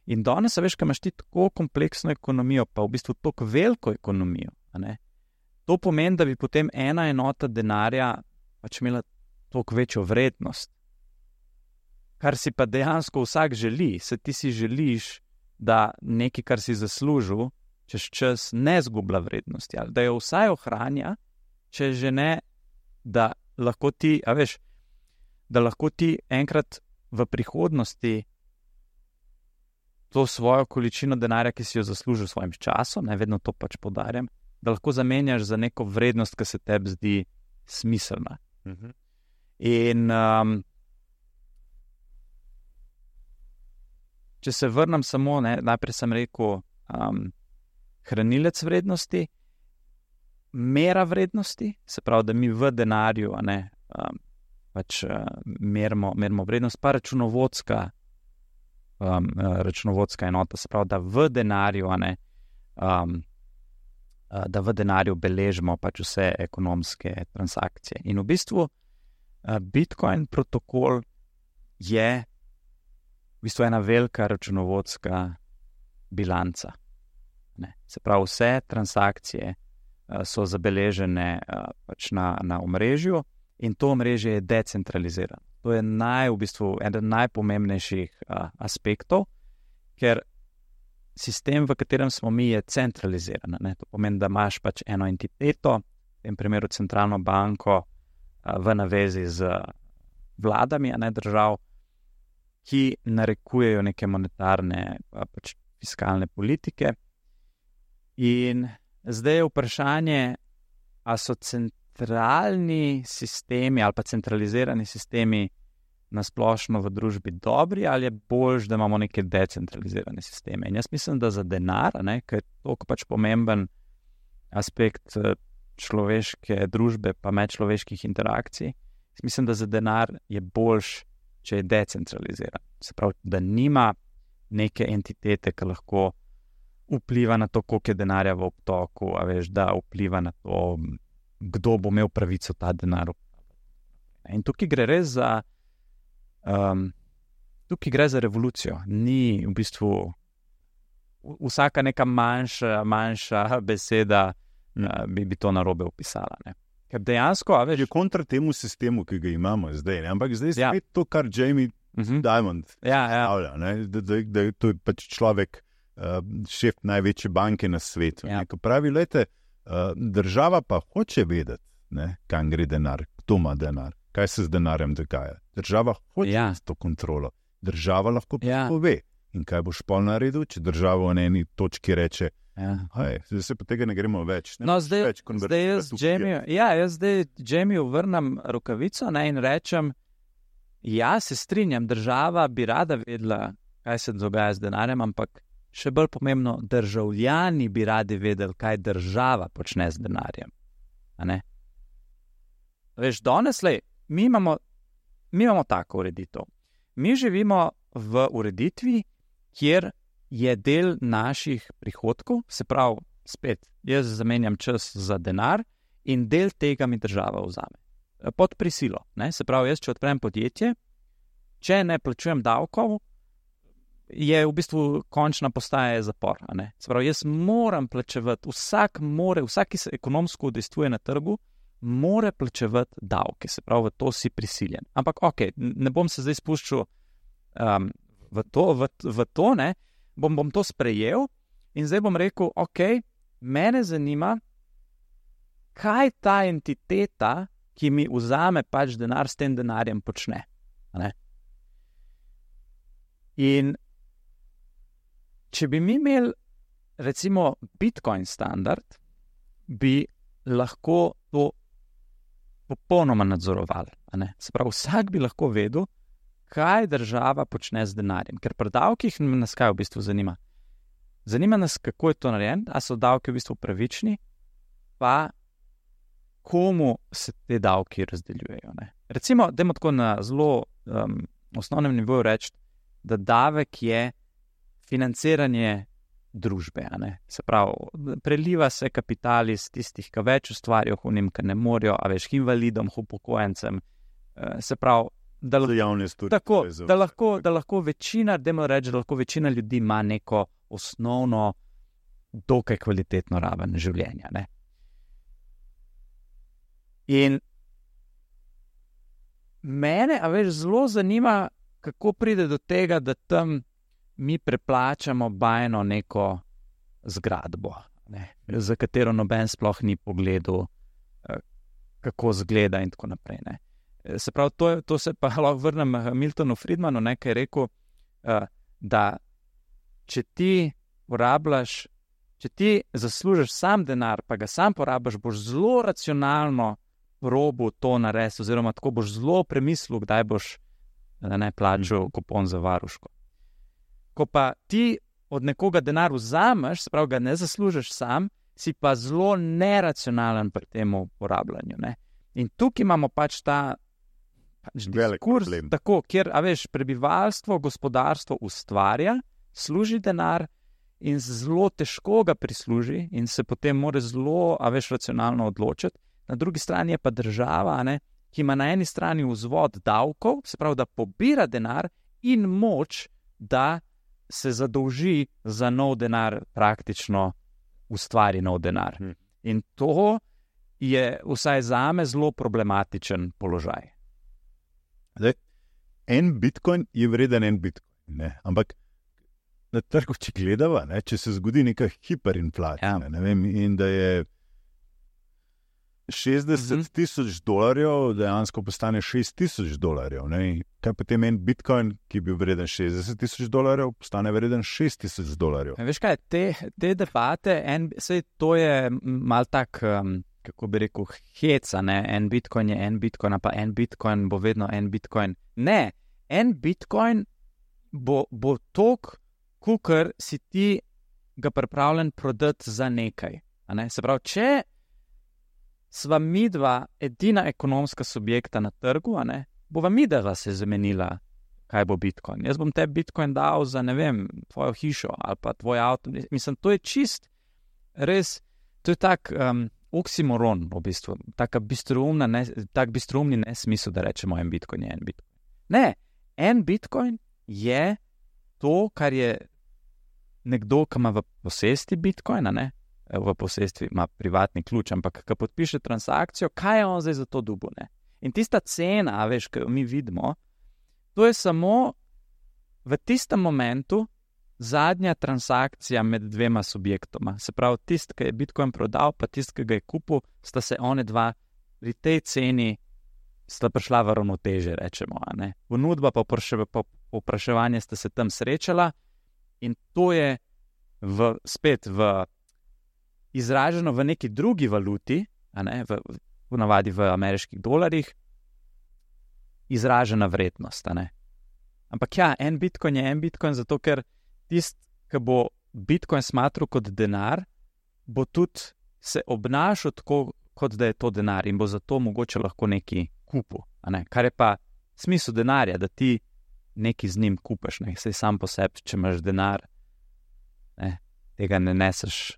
In danes, veš, kaj imaš ti tako kompleksno ekonomijo, pa v bistvu tako veliko ekonomijo, a ne, to pomeni, da bi potem ena enota denarja pač imela toliko večjo vrednost. Kar si pa dejansko vsak želi, se ti si želiš, da nekaj, kar si zaslužil, čez čas ne zgublja vrednosti, ali da jo vsaj ohranja, če že ne, da lahko ti, a veš, da lahko ti enkrat v prihodnosti to svojo količino denarja, ki si jo zaslužil s svojim časom, ne vedno to pač poudarjam, da lahko zamenjaš za neko vrednost, ki se tebi zdi smiselna. Uh-huh. In um, če se vrnem samo, ne, najprej sem rekel, um, hranilec vrednosti, mera vrednosti, se pravi, da mi v denarju, a ne, um, pač uh, merimo, merimo vrednost, pa računovodska, um, računovodska enota, se pravi, da v denarju, a ne, um, uh, da v denarju beležimo pač vse ekonomske transakcije. In v bistvu uh, Bitcoin protokol je v bistvu ena velika računovodska bilanca. Ne. Se pravi, vse transakcije uh, so zabeležene uh, pač na, na omrežju in to omrežje je decentralizirano. To je naj, v bistvu eden najpomembnejših uh, aspektov, ker sistem, v katerem smo mi, je centraliziran. Ne. To pomeni, da imaš pač eno entiteto, v tem primeru centralno banko uh, v navezi z vladami, a ne držav, ki narekujejo neke monetarne uh, pač fiskalne politike. In zdaj je vprašanje, a so centralni sistemi ali pa centralizirani sistemi nasplošno v družbi dobri ali je boljš, da imamo neke decentralizirane sisteme. In jaz mislim, da za denar, ne, ker je toliko pač pomemben aspekt človeške družbe pa medčloveških interakcij, mislim, da za denar je boljš, če je decentraliziran. Se pravi, da nima neke entitete, ki lahko vpliva na to, koliko je denarja v obtoku, a veš, da vpliva na to, kdo bo imel pravico ta denar. In tukaj gre res za um, tukaj gre za revolucijo. Ni v bistvu vsaka neka manjša, manjša beseda uh, bi, bi to narobe opisala. Ne? Ker dejansko, a veš, je kontra temu sistemu, ki ga imamo zdaj, ne? Ampak zdaj spet ja. To, kar Jamie Mhm. Diamond. Ja, ja. stavlja, ne, da, da, da je to pač človek, uh, šef največje banke na svetu. Ja. Ne, ko pravi, lejte, uh, država pa hoče vedeti, ne, kam gre denar, kdo ima denar, kaj se z denarjem dogaja. Država hoče Ja. to kontrolo. Država lahko Ja. pove. In kaj boš pol naredil, če država v eni točki reče, Ja. hej, zdaj se pa tega ne gremo več. Ne No, boš zdaj, več zdaj konvertirati jaz v Jamie, ja, jaz zdaj Jamieju vrnem rokavico, ne, in rečem, ja, se strinjam, država bi rada vedela, kaj se dogaja z denarjem, ampak še bolj pomembno, državljani bi radi vedeli, kaj država počne z denarjem. A ne? Veš, danes, lej, mi imamo, mi imamo tako ureditev. Mi živimo v ureditvi, kjer je del naših prihodkov, se pravi, spet, jaz zamenjam čas za denar in del tega mi država vzame. Pod prisilo. Ne? Se pravi, jaz, če odprem podjetje, če ne plačujem davkov, je v bistvu končna postaja zapor. A ne? Se pravi, jaz moram plačevati, vsak more, vsak, ki se ekonomsko udejstvuje na trgu, mora plačevati davke. Se pravi, v to si prisiljen. Ampak ok, ne bom se zdaj spuščal um, v to, v, v to ne, bom, bom to sprejel in zdaj bom rekel, ok, mene zanima, kaj ta entiteta, ki mi vzame pač denar, s tem denarjem počne. A ne? In če bi mi imeli recimo Bitcoin standard, bi lahko to popolnoma nadzorovali. A ne? Se pravi, vsak bi lahko vedel, kaj država počne z denarjem. Ker pri davkih nas kaj v bistvu zanima? Zanima nas, kako je to narejeno, a so davki v bistvu pravični, pa komu se te davki razdeljujejo. Ne? Recimo, dajmo tako na zelo um, osnovnem nivoju reči, da davek je financiranje družbe. A ne? Se pravi, preliva se kapital iz tistih, ki več ustvarijo, hunim, ki ne morejo, a veš, invalidom, upokojencem. Uh, se pravi, da, javnosti. tako, da, lahko, da lahko večina, dajmo reči, da lahko večina ljudi ima neko osnovno, dokaj kvalitetno raven življenja. Ne? In mene, a veš, zelo zanima, kako pride do tega, da tam mi preplačamo bajno neko zgradbo, ne, za katero noben sploh ni pogledal, kako zgleda in tako naprej. Ne. Se pravi, to, to se pa lahko vrnem Miltonu Friedmanu, ne, ki je rekel, da če ti porabljaš, če ti zaslužiš sam denar, pa ga sam porabiš, boš zelo racionalno probo to narediti, oziroma tako boš zelo premislil, kdaj boš ne plačal kupon za varuško. Ko pa ti od nekoga denar vzameš, se pravi, ga ne zaslužiš sam, si pa zelo neracionalen pri tem uporabljanju. Ne? In tukaj imamo pač ta pač diskurs, tako, kjer, a veš, prebivalstvo, gospodarstvo ustvarja, služi denar in zelo težko ga prisluži in se potem mora zelo, a veš, racionalno odločiti. Na drugi strani je pa država, ne, ki ima na eni strani vzvod davkov, se pravi, da pobira denar in moč, da se zadolži za nov denar, praktično ustvari nov denar. Hmm. In to je vsaj zame zelo problematičen položaj. Zdaj, en bitcoin je vreden en bitcoin, ne? Ampak na trgu, če gledava, ne, če se zgodi neka hiperinflacija, ja. Ne vem, in da je šestdeset tisoč dolarjev dejansko postane šest tisoč dolarjev. Ne? Kaj potem en bitcoin, ki bi bil vreden šestdeset tisoč dolarjev, postane vreden šest tisoč dolarjev. Veš kaj, te, te debate, en, sej to je mal tak, um, kako bi rekel, heca, ne? En bitcoin je en bitcoin, pa en bitcoin bo vedno en bitcoin. Ne, en bitcoin bo, bo tok, kukor si ti ga pripravljen prodati za nekaj. A ne? Se pravi, če sva midva edina ekonomska subjekta na trgu, a ne, bova midva se zamenila, kaj bo bitcoin. Jaz bom te bitcoin dal za, ne vem, tvojo hišo ali pa tvoj avto. Mislim, to je čist, res, to je tak um, oksimoron, v bistvu, taka bistroumna, ne, tak bistroumni nesmisel, da rečemo en bitcoin je en bitcoin. Ne, en bitcoin je to, kar je nekdo, ki ima v posesti bitcoina, ne, v posestvi ima privatni ključ, ampak ko podpiše transakcijo, kaj je on zdaj za to dobil, ne? In tista cena, veš, ki jo mi vidimo, to je samo v tistem momentu zadnja transakcija med dvema subjektoma. Se pravi, tist, ki je Bitcoin prodal, pa tist, ki ga je kupil, sta se one dva pri tej ceni sta prišla v ravnoteže, rečemo. Ponudba pa povpraševanje sta se tam srečala in to je v, spet v, izraženo v neki drugi valuti, a ne, v, v navadi v ameriških dolarjih, izražena vrednost. A ne. Ampak ja, en Bitcoin je en Bitcoin, zato ker tist, ki bo Bitcoin smatral kot denar, bo tudi se obnašal tako, kot da je to denar in bo zato mogoče lahko neki kupil. A ne. Kar je pa smisel denarja, da ti neki z njim kupaš, ne. Saj sam po sebi, če imaš denar, ne, tega ne neseš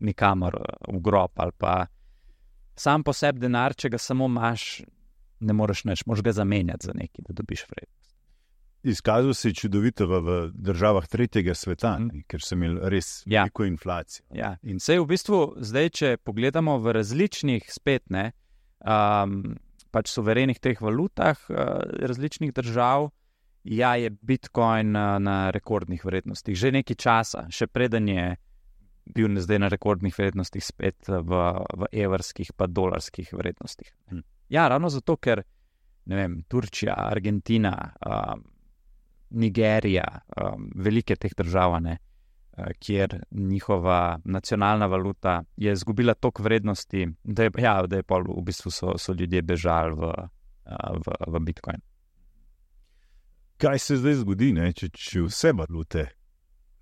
nikamor v grob ali pa sam po sebi denar, če ga samo imaš, ne moreš nič, moraš ga zamenjati za nekaj, da dobiš vrednost. Izkazal se je čudovito v, v državah tretjega sveta, mm. ker so imeli res ja. veliko inflacijo. Ja. In sej v bistvu zdaj, če pogledamo v različnih spet, ne, um, pač suverenih teh valutah uh, različnih držav, ja, je Bitcoin uh, na rekordnih vrednostih. Že nekaj časa, še preden je bil zdaj na rekordnih vrednostih spet v, v evrskih pa dolarskih vrednostih. Mm. Ja, ravno zato, ker ne vem, Turčija, Argentina, um, Nigerija, um, velike teh držav, ne, uh, kjer njihova nacionalna valuta je izgubila toliko vrednosti, da je, ja, da je pol v bistvu so, so ljudje bežali v, uh, v, v Bitcoin. Kaj se zdaj zgodi, ne, če, če vse valute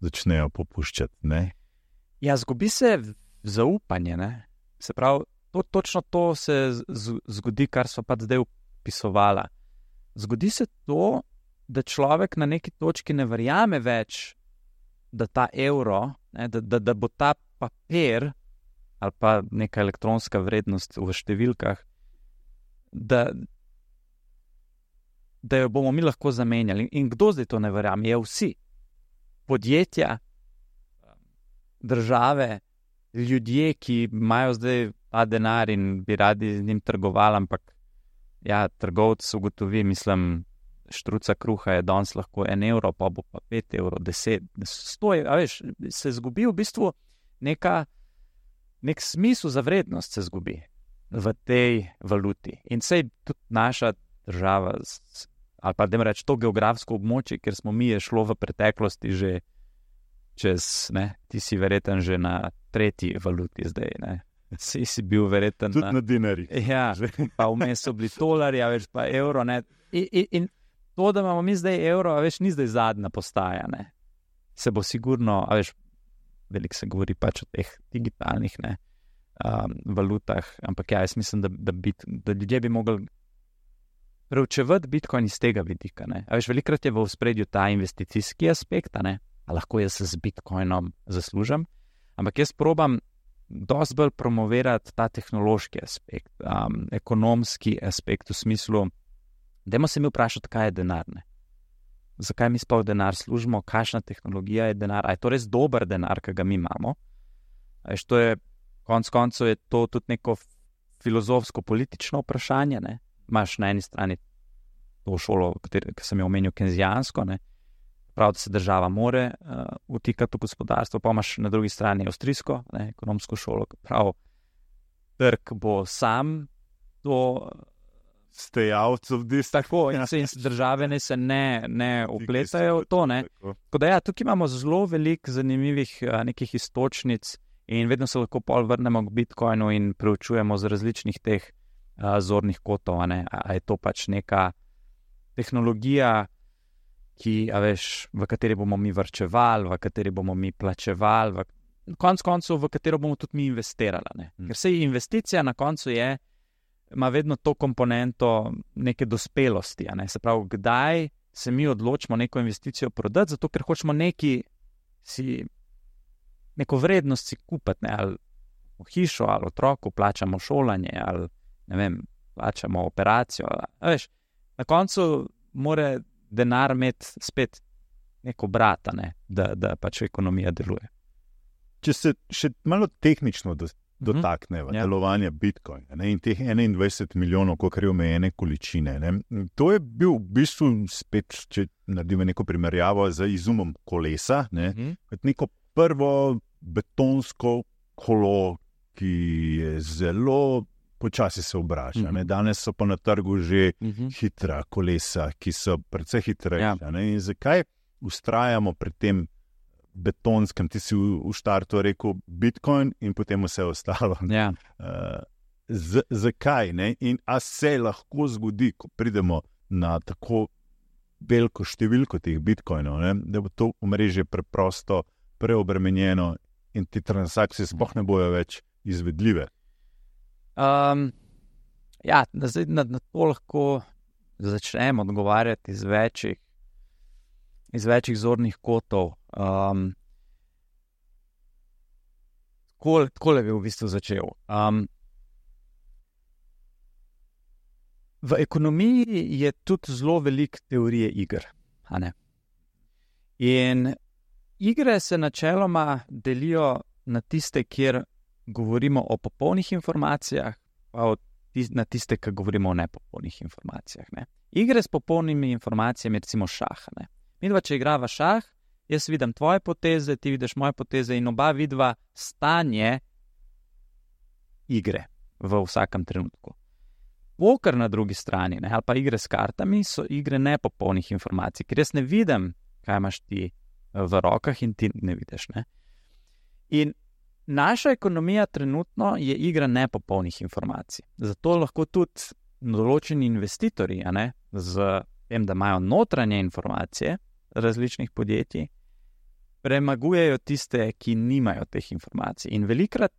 začnejo popuščati? Ne? Ja, zgubi se zaupanje. Ne. Se pravi, to, točno to se z, zgodi, kar so pa zdaj opisovala. Zgodi se to, da človek na neki točki ne verjame več, da ta evro, ne, da, da, da bo ta papir ali pa neka elektronska vrednost v številkah, da, da jo bomo mi lahko zamenjali. In kdo zdaj to ne verjame? Je vsi. Podjetja, države, ljudje, ki imajo zdaj ta denar in bi radi z njim trgovali, ampak ja, trgovec ugotovi, mislim, štruca kruha je danes lahko en evro, pa bo pa pet evrov, deset, sto, a veš, se zgubi v bistvu neka, nek smisel za vrednost se zgubi v tej valuti. In sej tudi naša država, ali pa da reč to geografsko območje, kjer smo mi, je šlo v preteklosti že čez, ne, ti si verjeten že na tretji valuti zdaj, ne. Si si bil verjeten tudi na, na dinarjih. Ja, pa vmes so bili tolarji, več pa evro, ne. In, in, in to, da imamo mi zdaj evro, a veš, ni zdaj zadnja postaja, ne. Se bo sigurno, a veš, veliko se govori pač o teh digitalnih, ne, um, valutah, ampak ja, jaz mislim, da, da, bit, da ljudje bi mogli preučevati Bitcoin iz tega vidika, ne. A veš, velikrat je v ospredju ta investicijski aspekt, ne, a lahko jaz z Bitcoinom zaslužim, ampak jaz probam dosti bolj promovirati ta tehnološki aspekt, um, ekonomski aspekt v smislu, dajmo se mi vprašati, kaj je denar, ne? Zakaj mi sploh denar služimo, kakšna tehnologija je denar, a je to res dober denar, ki ga mi imamo? A veš, to je, konc koncev je to tudi neko filozofsko-politično vprašanje, ne? Imaš na eni strani to šolo, ki sem jo omenil, kenzijansko, ne? Prav, da se država more uh, vtikati v gospodarstvo, pa imaš na drugi strani avstrijsko, ne, ekonomsko šolo, prav, trg bo sam to stay out of this. Tako, in se in države ne se ne, ne upletajo v to, ne. Tako da ja, tukaj imamo zelo veliko zanimivih uh, nekih istočnic in vedno se lahko pol vrnemo k Bitcoinu in preučujemo z različnih teh uh, zornih kotov, ne, a, a je to pač neka tehnologija, ki, a veš, v kateri bomo mi varčevali, v kateri bomo mi plačevali, v konc koncu, v katero bomo tudi mi investirali. Ne? Ker se investicija na koncu je, ima vedno to komponento neke dospelosti. Ne? Se pravi, kdaj se mi odločimo neko investicijo prodati, zato ker hočemo neki si, neko vrednost si kupiti, ne? Ali hišo, ali otroku, plačamo šolanje, ali ne vem, plačamo operacijo. A veš, na koncu mora denar imeti spet neko brata, ne, da, da pač ekonomija deluje. Če se še malo tehnično dotakneva, Ja. delovanja Bitcoina, ne, in teh enaindvajset milijonov, kolikor je omejene količine. Ne. To je bil v bistvu spet, če naredimo neko primerjavo z izumom kolesa, ne, Mhm. kot neko prvo betonsko kolo, ki je zelo počasi se obrača. Mhm. Ne. Danes so pa na trgu že Mhm. hitra kolesa, ki so precej hitrejša. Ja. Ne. In zakaj vztrajamo pri tem betonskem, ti si v, v štartu rekel Bitcoin in potem vse ostalo. Ja. Uh, z, zakaj? Ne? In a se lahko zgodi, ko pridemo na tako veliko številko teh bitcoinov, ne? Da bo to omrežje preprosto preobremenjeno in te transakcije sploh ne bojo več izvedljive. Um, ja, na, zdaj, na, na to lahko začnemo odgovarjati iz večjih, iz večjih zornih kotov. Um, tako, tako bi v bistvu začel. Um, v ekonomiji je tudi zelo veliko teorije iger. A ne? In igre se načeloma delijo na tiste, kjer govorimo o popolnih informacijah, pa tiste, na tiste, ki govorimo o nepopolnih informacijah. Ne? Igre s popolnimi informacijami, recimo šah. Ne? Mi dva, če igrava šah, jaz vidim tvoje poteze, ti vidiš moje poteze in oba vidva stanje igre v vsakem trenutku. Poker na drugi strani, ne, ali pa igre s kartami, so igre nepopolnih informacij, ker jaz ne vidim, kaj imaš ti v rokah in ti ne vidiš. Ne. In naša ekonomija trenutno je igra nepopolnih informacij. Zato lahko tudi določeni investitorji, a ne, z tem, da imajo notranje informacije različnih podjetij, premagujejo tiste, ki nimajo teh informacij. In velikrat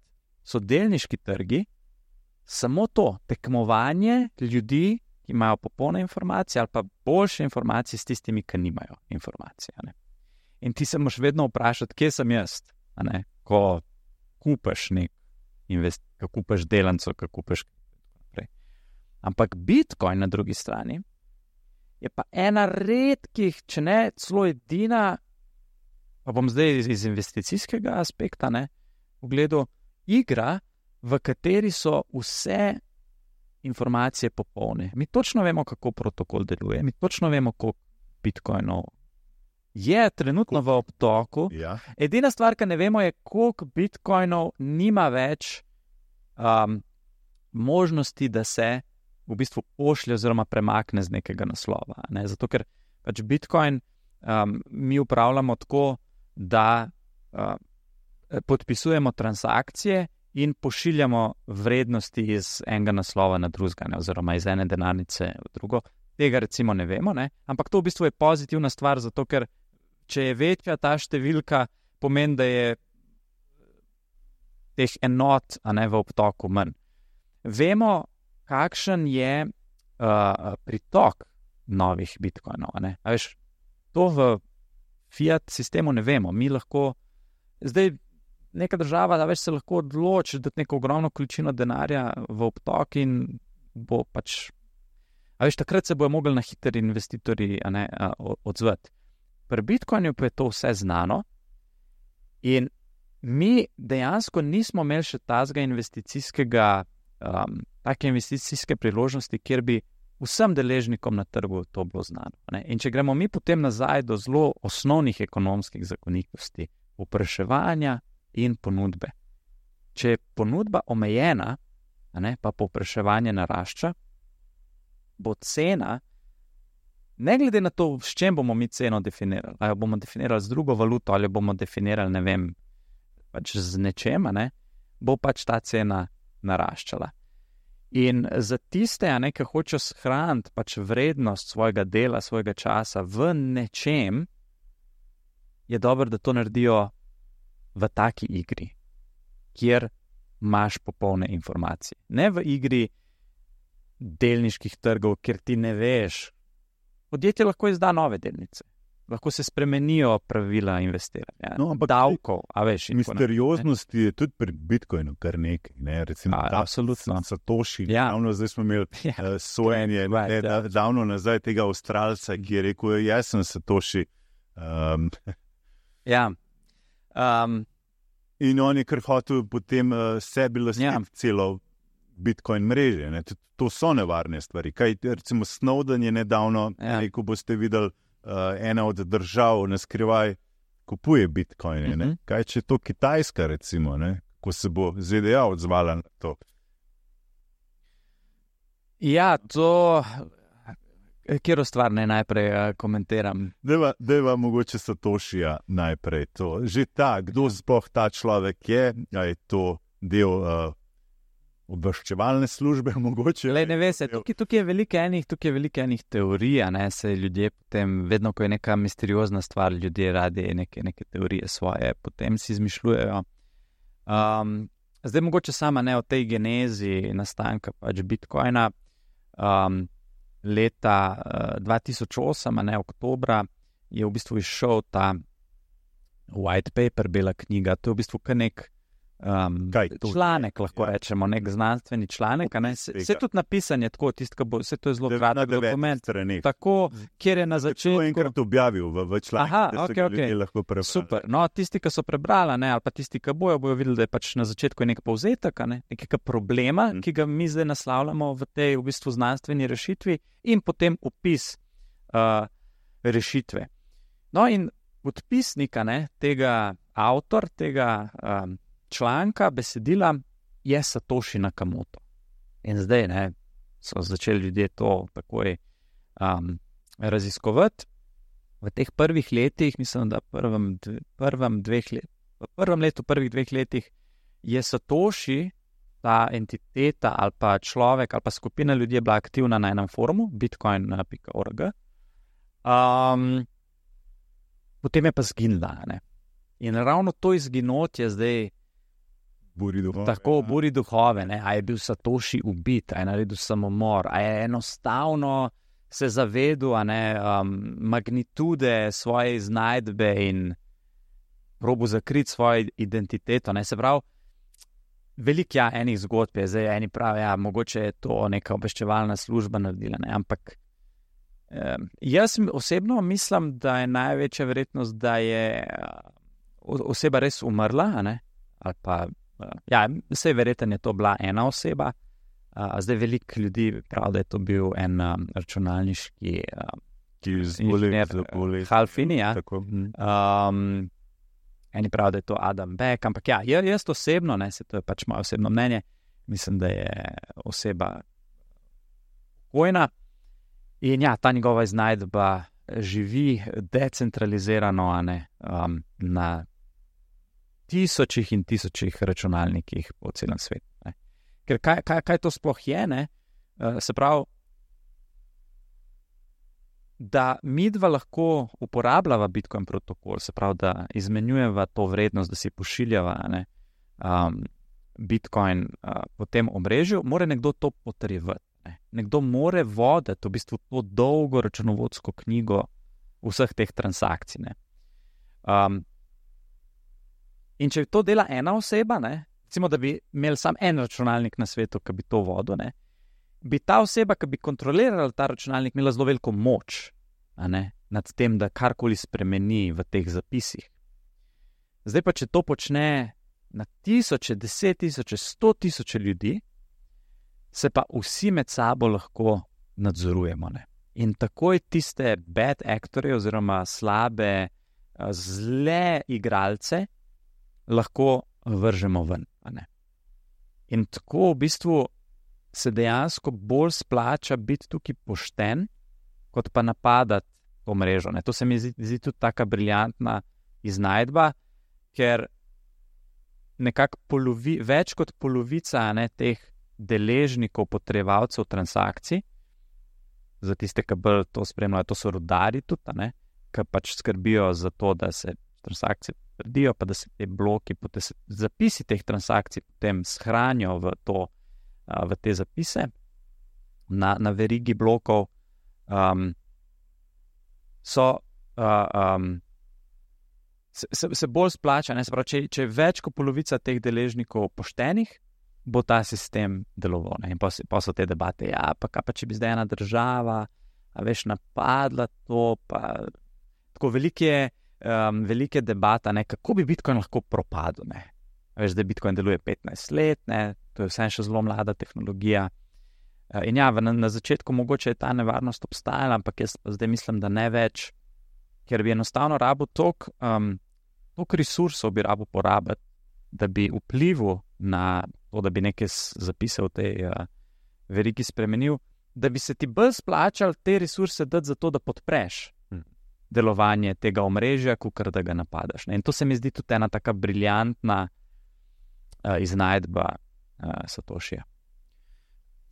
so delniški trgi samo to, tekmovanje ljudi, ki imajo popolne informacije ali pa boljše informacije s tistimi, ki nimajo informacije. Ne? In ti se moraš vedno vprašati, kje sem jaz, a ne? Ko kupaš nek invest, ko kupaš delnico, ko kupaš naprej. Ampak Bitcoin na drugi strani je pa ena redkih, če ne celo edina, pa bom zdaj iz, iz investicijskega aspekta, ne, pogledal, igra, v kateri so vse informacije popolne. Mi točno vemo, kako protokol deluje, mi točno vemo, koliko bitcoinov je trenutno v obtoku. Ja. Edina stvar, ki ne vemo, je, koliko bitcoinov nima več um, možnosti, da se v bistvu pošlje oziroma premakne z nekega naslova. Ne? Zato, ker pač bitcoin um, mi upravljamo tako, da uh, podpisujemo transakcije in pošiljamo vrednosti iz enega naslova na drugega, ne, oziroma iz ene denarnice v drugo. Tega recimo ne vemo, ne, ampak to v bistvu je pozitivna stvar, zato ker če je večja ta številka, pomeni, da je teh enot, a ne, v obtoku manj. Vemo, kakšen je uh, pritok novih bitcoinov, a ne. A veš, to v fiat sistemu ne vemo. Mi lahko zdaj neka država, da več se lahko odloči, da neko ogromno količino denarja v obtok in bo pač, a veš, takrat se bojo mogli na hiter investitorji, a ne, a, odzvati. Pri Bitcoinu pa je to vse znano in mi dejansko nismo imeli še tazga investicijskega, um, take investicijske priložnosti, kjer bi vsem deležnikom na trgu to bilo znano. Ne? In če gremo mi potem nazaj do zelo osnovnih ekonomskih zakonitosti, povpraševanja in ponudbe. Če je ponudba omejena, a ne, pa povpraševanje narašča, bo cena, ne glede na to, s čem bomo mi ceno definirali, ali bomo definirali z drugo valuto, ali bomo definirali, ne vem, pač z nečem, a ne, bo pač ta cena naraščala. In za tiste, a ne, ki hočejo shraniti pač vrednost svojega dela, svojega časa v nečem, je dobro, da to naredijo v taki igri, kjer imaš popolne informacije. Ne v igri delniških trgov, kjer ti ne veš. Podjetje lahko izda nove delnice, lahko se spremenijo pravila investiranja, no, davkov, a veš. Misterioznosti je tudi pri Bitcoinu kar nekaj, ne, recimo, a, da, absolutno. Satoshi, Ja. davno zdaj smo imeli Ja. uh, sojenje, Right, ne, ja. da, davno nazaj tega Avstralca, ki je rekel, jaz sem Satoshi. Um, Ja. Um, In on je kar hotel potem uh, sebi lastiti Ja. celo Bitcoin mreže. Ne? To, to so nevarne stvari. Kaj, recimo Snowden je nedavno Ja. rekel, boste videli, uh, ena od držav na skrivaj kupuje Bitcoine. Ne? Mhm. Kaj če je to Kitajska, recimo, ne? Ko se bo Z D A odzvala na to? Ja, to, katero stvar naj najprej uh, komentiram. Deva, deva mogoče Satoshija najprej to. Že ta, kdo sploh ta človek je, a je to del uh, obveščevalne službe, mogoče. Lej, ne ve se, tukaj, tukaj je veliko enih, tukaj je veliko enih teorij, a ne, se ljudje potem, vedno ko je neka misteriozna stvar, ljudje radi neke, neke teorije svoje, potem si izmišljujejo. Um, zdaj mogoče sama ne o tej genezi nastanka pač Bitcoina. Um, leta uh, dva tisoč osem, a ne oktobra, je v bistvu izšel ta white paper, bela knjiga, to je v bistvu kar nek Um, Kaj, to, članek, lahko ja. rečemo, nek znanstveni članek. Vse tudi napisanje, tako, tistka bo, vse to je zelo kratek dokument. Tako, kjer je na začetku. To je enkrat objavil v, v članku, Aha, da se okay, ljudje okay. lahko prebrali. Super. No, tisti, ki so prebrali, ne, ali pa tisti, ki bojo, bojo videli, da je pač na začetku nek povzetek, ne, nekega problema, hmm. ki ga mi zdaj naslavljamo v tej v bistvu znanstveni rešitvi, in potem opis uh, rešitve. No, in podpisnika, ne, tega avtor, tega um, članka, besedila je Satoshi Nakamoto. In zdaj ne, so začeli ljudje to takoj um, raziskovati. V teh prvih letih, mislim, da prvem, prvem, dveh let, v prvem letu, prvih dveh letih je Satoshi, ta entiteta ali pa človek ali pa skupina ljudi bila aktivna na enem forumu, bitcoin pika org. Um, potem je pa zginila. Ne? In ravno to izginotje zdaj Buri duhove, tako ja. buri duhove, ne? A je bil Satoshi ubit, a je naredil samomor, a je enostavno se zavedel a ne, um, magnitude svoje iznajdbe in probo zakriti svojo identiteto. Ne? Se pravi, veliko ja, enih zgodb je, zdaj eni pravijo, ja, mogoče je to neka obveščevalna služba naredila, ne? Ampak um, jaz osebno mislim, da je največja verjetnost, da je uh, oseba res umrla, a ne? Ali pa ja, vse verjetno je to bila ena oseba, uh, zdaj veliko ljudi pravi, da je to bil en um, računalniški uh, ki je zbolel, Halfini, ja. Um, eni pravi, da je to Adam Beck, ampak ja, jaz osebno, ne, se to je pač moje osebno mnenje, mislim, da je oseba pokojna in ja, ta njegova iznajdba živi decentralizirano, a ne, um, na tisočih in tisočih računalnikih po celem svetu. Ne. Ker kaj, kaj, kaj to sploh je, ne? Uh, se pravi, da mi dva lahko uporabljava Bitcoin protokol, se pravi, da izmenjujeva to vrednost, da si pošiljava ne, um, Bitcoin uh, po tem omrežju, mora nekdo to potrjevati. Ne. Nekdo more voditi v bistvu to dolgo računovodsko knjigo vseh teh transakcij. Ne. Um, In če to dela ena oseba, ne, recimo, da bi imel sam en računalnik na svetu, ki bi to vodil, ne, bi ta oseba, ki bi kontrolirala ta računalnik, imela zelo veliko moč a ne, nad tem, da karkoli spremeni v teh zapisih. Zdaj pa, če to počne na tisoče, deset tisoče, sto tisoče ljudi, se pa vsi med sabo lahko nadzorujemo. Ne. In takoj tiste bad actorje oziroma slabe, zle igralce lahko vržemo ven. Ne? In tako v bistvu se dejansko bolj splača biti tukaj pošten, kot pa napadati to mrežo. Ne? To se mi zdi, zdi tudi taka briljantna iznajdba, ker nekako polovi, več kot polovica ne, teh deležnikov, potrjevalcev transakcij, za tiste, ki bolj to spremljajo, to so rudarji tudi, ki pač skrbijo za to, da se transakcije trdijo, pa da se te bloki, da se zapisi teh transakcij potem shranijo v, to, v te zapise na, na verigi blokov, um, so uh, um, se, se, se bolj splača. Ne? Se pravi, če, če je več kot polovica teh deležnikov poštenih, bo ta sistem deloval. Ne? In pa, pa so te debate, ja, pa kaj pa če bi zdaj ena država, a veš, napadla to, pa tako velike Um, velike debata, ne, kako bi Bitcoin lahko propadel. Ne. Veš, da Bitcoin deluje petnajst let, ne? To je vse še zelo mlada tehnologija. In ja, na, na začetku mogoče je ta nevarnost obstajala, ampak jaz zdaj mislim, da ne več, ker bi enostavno rabo toliko um, toliko resursov bi rabo porabiti, da bi vplival na to, da bi nekaj zapisal v tej uh, verigi spremenil, da bi se ti bolj splačal te resurse dati za to, da podpreš hmm. delovanje tega omrežja, kakor da ga napadaš. Ne? In to se mi zdi tudi ena taka briljantna uh, iznajdba uh, Satoshija.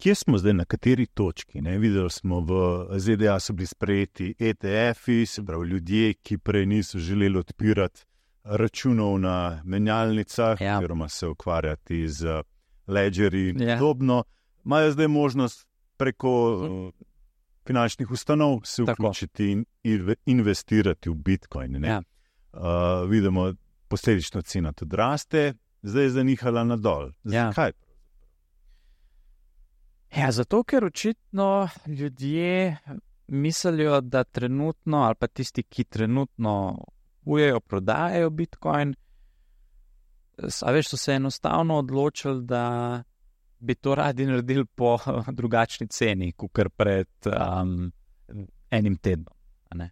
Kje smo zdaj, na kateri točki? Ne? Videli smo, v Z D A so bili sprejeti E T F-i, se pravi ljudje, ki prej niso želeli odpirati računov na menjalnicah, ja. oziroma se ukvarjati z ledgerji in Ja. podobno, imajo zdaj možnost preko uh, finančnih ustanov se Tako. vključiti in inve- investirati v Bitcoin. Ne? Ja. Uh, vidimo, posledično cena tudi raste, zdaj je zanihala nadol. Ja. Zakaj? Ja, zato, ker očitno ljudje mislijo, da trenutno, ali pa tisti, ki trenutno kupujejo, prodajajo Bitcoin, a veš, so se enostavno odločili, da bi to radi naredili po drugačni ceni, kakor pred um, enim tednom. A ne?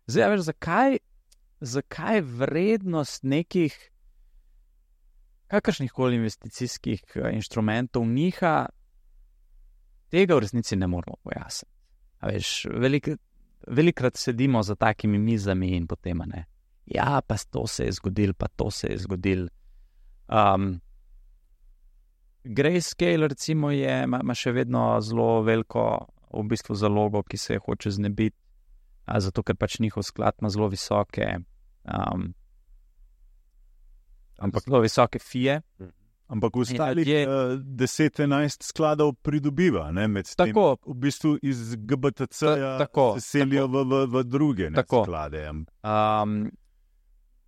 Zdaj, a veš, zakaj, zakaj vrednost nekih kakršnih koli investicijskih uh, inštrumentov niha, tega v resnici ne moramo pojasniti. A veš, velik, velikrat sedimo za takimi mizami in potem ne. Ja, pa to se je zgodil, pa to se je zgodil. Um, Grayscale recimo je, ima, ima še vedno zelo veliko v bistvu zalogo, ki se je hoče znebiti, a zato ker pač njihov sklad ima zelo visoke um, ampak zelo visoke fije. Ampak ostalih je- uh, deset enajst skladov pridobiva, ne, med tem, Tako, v bistvu iz G B T C-ja Ta- tako, se selijo v, v, v druge ne, Tako. sklade. um,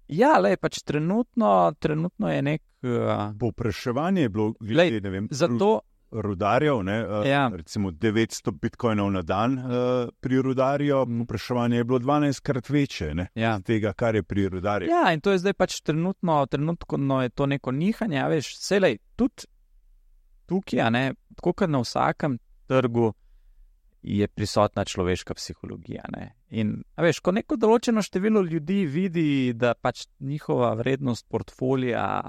ja, lej, pač trenutno, trenutno je nek, uh, Povpraševanje je bilo glede, Glej, ne vem, zato, rudarjev, ne, uh, Ja. recimo devetsto bitcoinov na dan uh, pri rudarju, Mm. povpraševanje je bilo dvanajstkrat večje, ne, ja. tega, kar je pri rudarju. Ja, in to je zdaj pač trenutno, trenutno je to neko nihanje, a veš, selej, tudi tukaj, a ne, tako kot na vsakem trgu, je prisotna človeška psihologija, ne. In, a veš, ko neko določeno število ljudi vidi, da pač njihova vrednost portfolija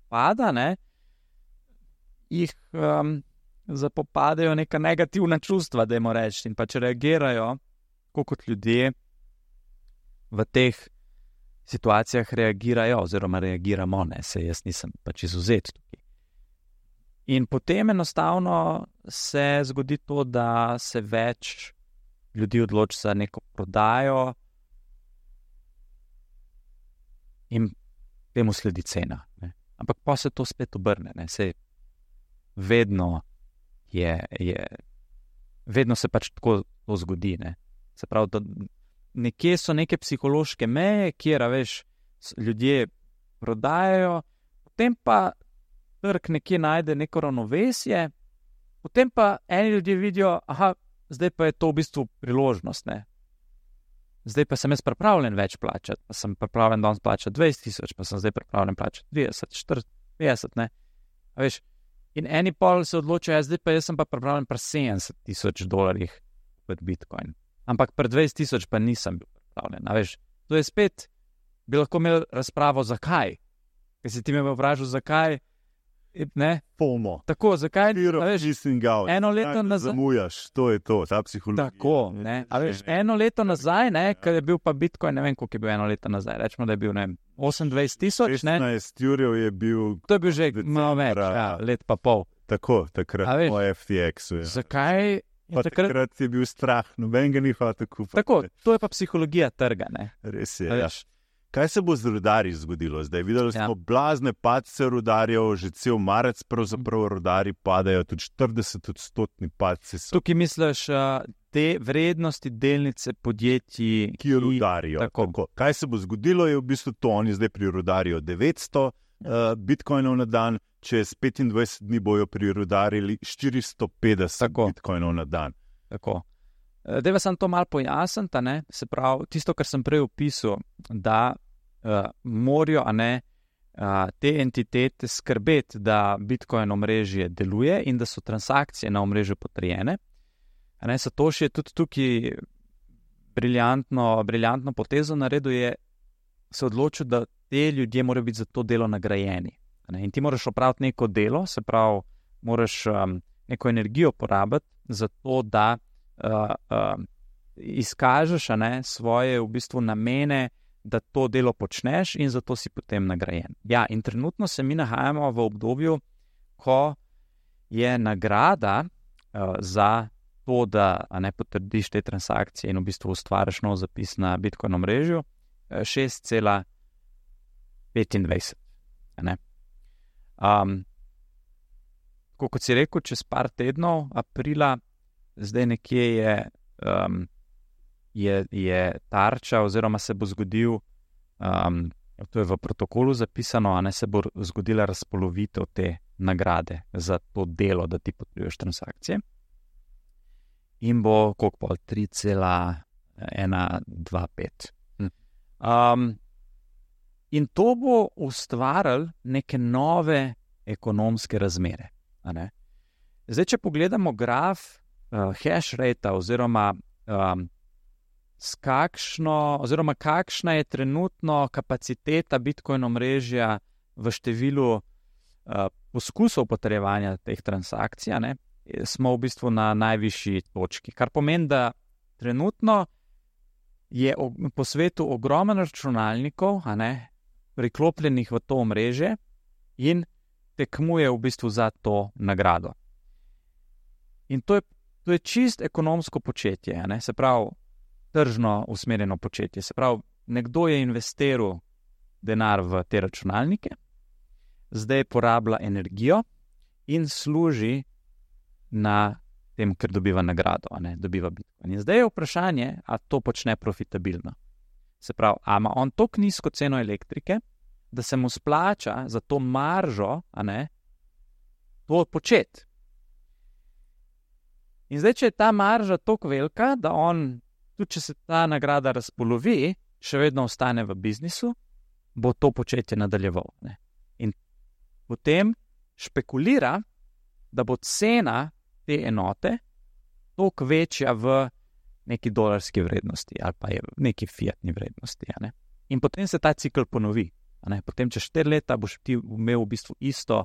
pada, ne, jih um, zapopadejo neka negativna čustva, dajmo reči, in pač reagirajo, tako kot ljudje v teh situacijah reagirajo, oziroma reagiramo, ne, se jaz nisem pač izvzet tukaj. In potem enostavno se zgodi to, da se več ljudi odloči za neko prodajo in temu sledi cena. Ne. Ampak pa se to spet obrne, ne, se vedno je, je, vedno se pač tako to zgodi, ne. Se pravi, da nekje so neke psihološke meje, kjer, a veš, s- ljudje prodajajo, potem pa trg nekje najde neko ravnovesje, potem pa eni ljudje vidijo, aha, zdaj pa je to v bistvu priložnost, ne. Zdaj pa sem jaz pripravljen več plačati, pa sem pripravljen danes plačati dvajset tisoč, pa sem zdaj pripravljen plačati trideset, štirideset, petdeset, ne. A veš, in eni pol se odločajo, ja, zdaj pa jaz sem pa pripravljen pri sedemdeset tisoč dolarjih kupiti Bitcoin. Ampak pri dvajset tisoč pa nisem bil pripravljen. A veš, to je spet, bi lahko imel razpravo, zakaj. Ker si ti me vprašal, zakaj, ne, FOMO. tako, zakaj, Fear a of veš, missing out. eno leto Kaj nazaj- Zamujaš, to je to, ta psihologija. tako, ne, a veš, eno leto nazaj, ne, ker je bil pa Bitcoin, ne vem, koliko je bil eno leto nazaj, rečemo, da je bil, ne vem, osemindvajset tisoč, ne, šestnajst jurjev je bil to je bil že decembra, malo več, ja, let pa pol. tako, takrat A veš, po F T X-u. Ja. Zakaj je Pa takrat? takrat je bil strah, noben ga ni hotel kupiti. Tako, to je pa psihologija trga, ne. Res je. A Ja. veš. Kaj se bo z rudarji zgodilo zdaj? Videli Ja. smo blazne padce rudarjev, že cel marec pravzaprav rudari padajo, tudi štirideset odstotni padci so, Tukaj misliš, uh, te vrednosti delnice podjetij, ki rudarijo. tako. Tako. Kaj se bo zgodilo, je v bistvu to, oni zdaj prirudarijo devetsto uh, bitcoinov na dan, čez petindvajset dni bojo prirudarili štiristo petdeset Tako. bitcoinov na dan. Tako. Deva sem to malo pojasniti, a ne, se pravi, tisto, kar sem prej opisal, da uh, morajo, a ne, uh, te entitete skrbeti, da Bitcoin omrežje deluje in da so transakcije na omrežju potrjene. Ne, Satoshi je tudi tukaj briljantno, briljantno potezo naredil, je se odločil, da te ljudje morajo biti za to delo nagrajeni. Ne, in ti moraš opraviti neko delo, se pravi, moraš um, neko energijo porabiti za to, da uh, uh, izkažeš ne, svoje v bistvu namene, da to delo počneš in zato si potem nagrajen. Ja, in trenutno se mi nahajamo v obdobju, ko je nagrada uh, za to, da ne potrdiš te transakcije in v bistvu ustvariš nov zapis na Bitcoin omrežju, šest cela petindvajset. Um, kot si rekel, čez par tednov, aprila, zdaj nekje je, um, je, je tarča oziroma se bo zgodil, um, to je v protokolu zapisano, a ne se bo zgodila razpolovitev te nagrade za to delo, da ti potrjuješ transakcije. In bo koliko pol, tri cela ena dva pet. Um, in to bo ustvarilo neke nove ekonomske razmere. A ne? Zdaj, če pogledamo graf uh, hash rate oziroma, um, s kakšno, oziroma kakšna je trenutno kapaciteta Bitcoin omrežja v številu uh, poskusov potrjevanja teh transakcij, ne? Smo v bistvu na najvišji točki. Kar pomeni, da trenutno je po svetu ogromno računalnikov, a ne, priklopljenih v to omrežje in tekmuje v bistvu za to nagrado. In to je, to je čist ekonomsko početje, a ne, se pravi, tržno usmerjeno početje. Se pravi, nekdo je investiral denar v te računalnike, zdaj porablja energijo in služi na tem, ker dobiva nagrado, a ne, dobiva Bitcoin. In zdaj je vprašanje, a to počne profitabilno. Se pravi, a ima on toliko nizko ceno elektrike, da se mu splača za to maržo, a ne, to početi. In zdaj, če je ta marža toliko velika, da on, tudi če se ta nagrada razpolovi, še vedno ostane v biznisu, bo to početje nadaljeval. Ne. In potem špekulira, da bo cena te enote toliko večja v neki dolarski vrednosti ali pa je v neki fiatni vrednosti. A ne? In potem se ta cikl ponovi. A ne? Potem čez štiri leta boš ti imel v bistvu isto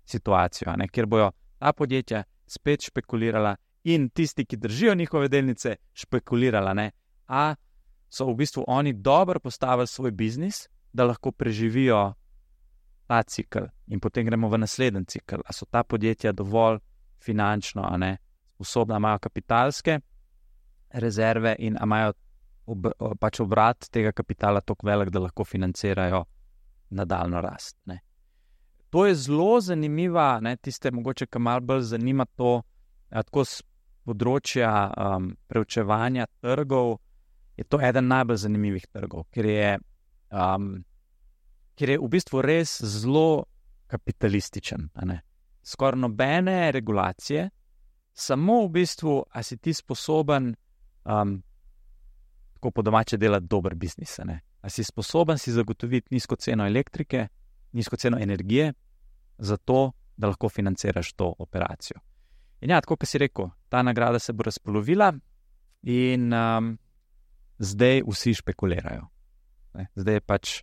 situacijo, a ne? Kjer bojo ta podjetja spet špekulirala in tisti, ki držijo njihove delnice, špekulirala, ne? A so v bistvu oni dobro postavili svoj biznis, da lahko preživijo ta cikl in potem gremo v naslednji cikl. A so ta podjetja dovolj finančno, a ne, sposobna, imajo kapitalske rezerve in imajo ob, pač obrat tega kapitala toliko velik, da lahko financirajo nadaljno rast. Ne. To je zelo zanimiva, ne, tiste mogoče, ki malo bolj zanima to, tako z področja um, preučevanja trgov, je to eden najbolj zanimivih trgov, ker je, um, ker je v bistvu res zelo kapitalističen, a ne. Skoraj nobene regulacije, samo v bistvu, a si ti sposoben um, tako po domače delati dober biznis, a ne. A si sposoben si zagotoviti nizko ceno elektrike, nizko ceno energije, zato, da lahko financiraš to operacijo. In ja, tako, kot si rekel, ta nagrada se bo razpolovila in um, zdaj vsi špekulirajo. Ne. Zdaj pač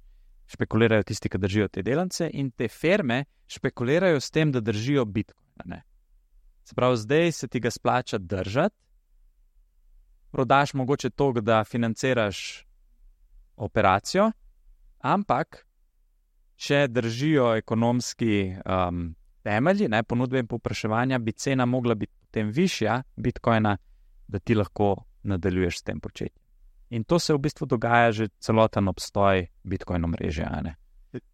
špekulirajo tisti, ki držijo te delnice in te firme špekulirajo s tem, da držijo Bitcoin. Ne. Se pravi, zdaj se ti ga splača držati, prodaš mogoče to, da financiraš operacijo, ampak če držijo ekonomski um, temelji, ne, ponudbe in povpraševanja, bi cena mogla biti potem višja Bitcoina, da ti lahko nadaljuješ s tem početjem. In to se v bistvu dogaja že celoten obstoj Bitcoin omrežja. Ne.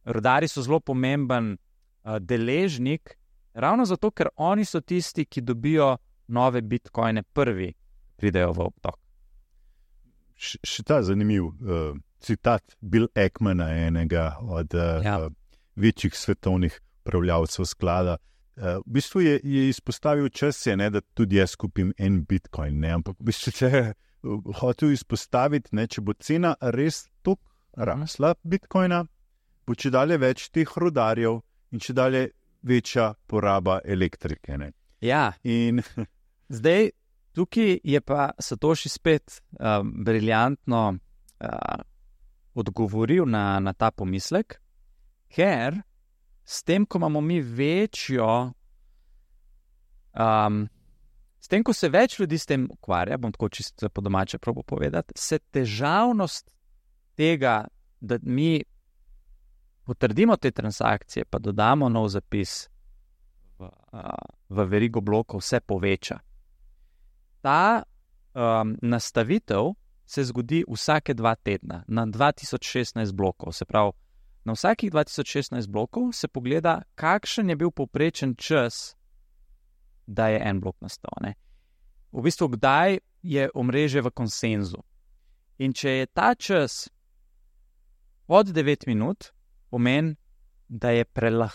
Rudarji so zelo pomemben uh, deležnik, ravno zato, ker oni so tisti, ki dobijo nove Bitcoine prvi, pridejo v obtok. Š, še ta zanimiv uh, citat Bill Ackmana, enega od uh, ja. večjih svetovnih upravljavcev sklada. Uh, v bistvu je, je izpostavil čas, je, ne, da tudi jaz kupim en Bitcoin, ne, ampak v bistvu če hotel izpostaviti, ne, če bo cena res toliko rasla Bitcoina, bo če dalje več teh rudarjev in če dalje večja poraba elektrike. Ne? Ja, In zdaj tukaj je pa Satoshi spet uh, briljantno uh, odgovoril na, na ta pomislek, ker s tem, ko imamo mi večjo, um, s tem, ko se več ljudi s tem ukvarja, bom tako čisto po domače probo povedati, se težavnost tega, da mi potrdimo te transakcije, pa dodamo nov zapis v, uh, v verigo blokov, se poveča. Ta um, nastavitev se zgodi vsake dva tedna, na dva tisoč šestnajst blokov. Se pravi, na vsakih dva tisoč šestnajst blokov se pogleda, kakšen je bil povprečen čas, da je en blok nastal. Ne? V bistvu, kdaj je omrežje v konsenzu. In če je ta čas pod devet minut, pomeni, da je prelah,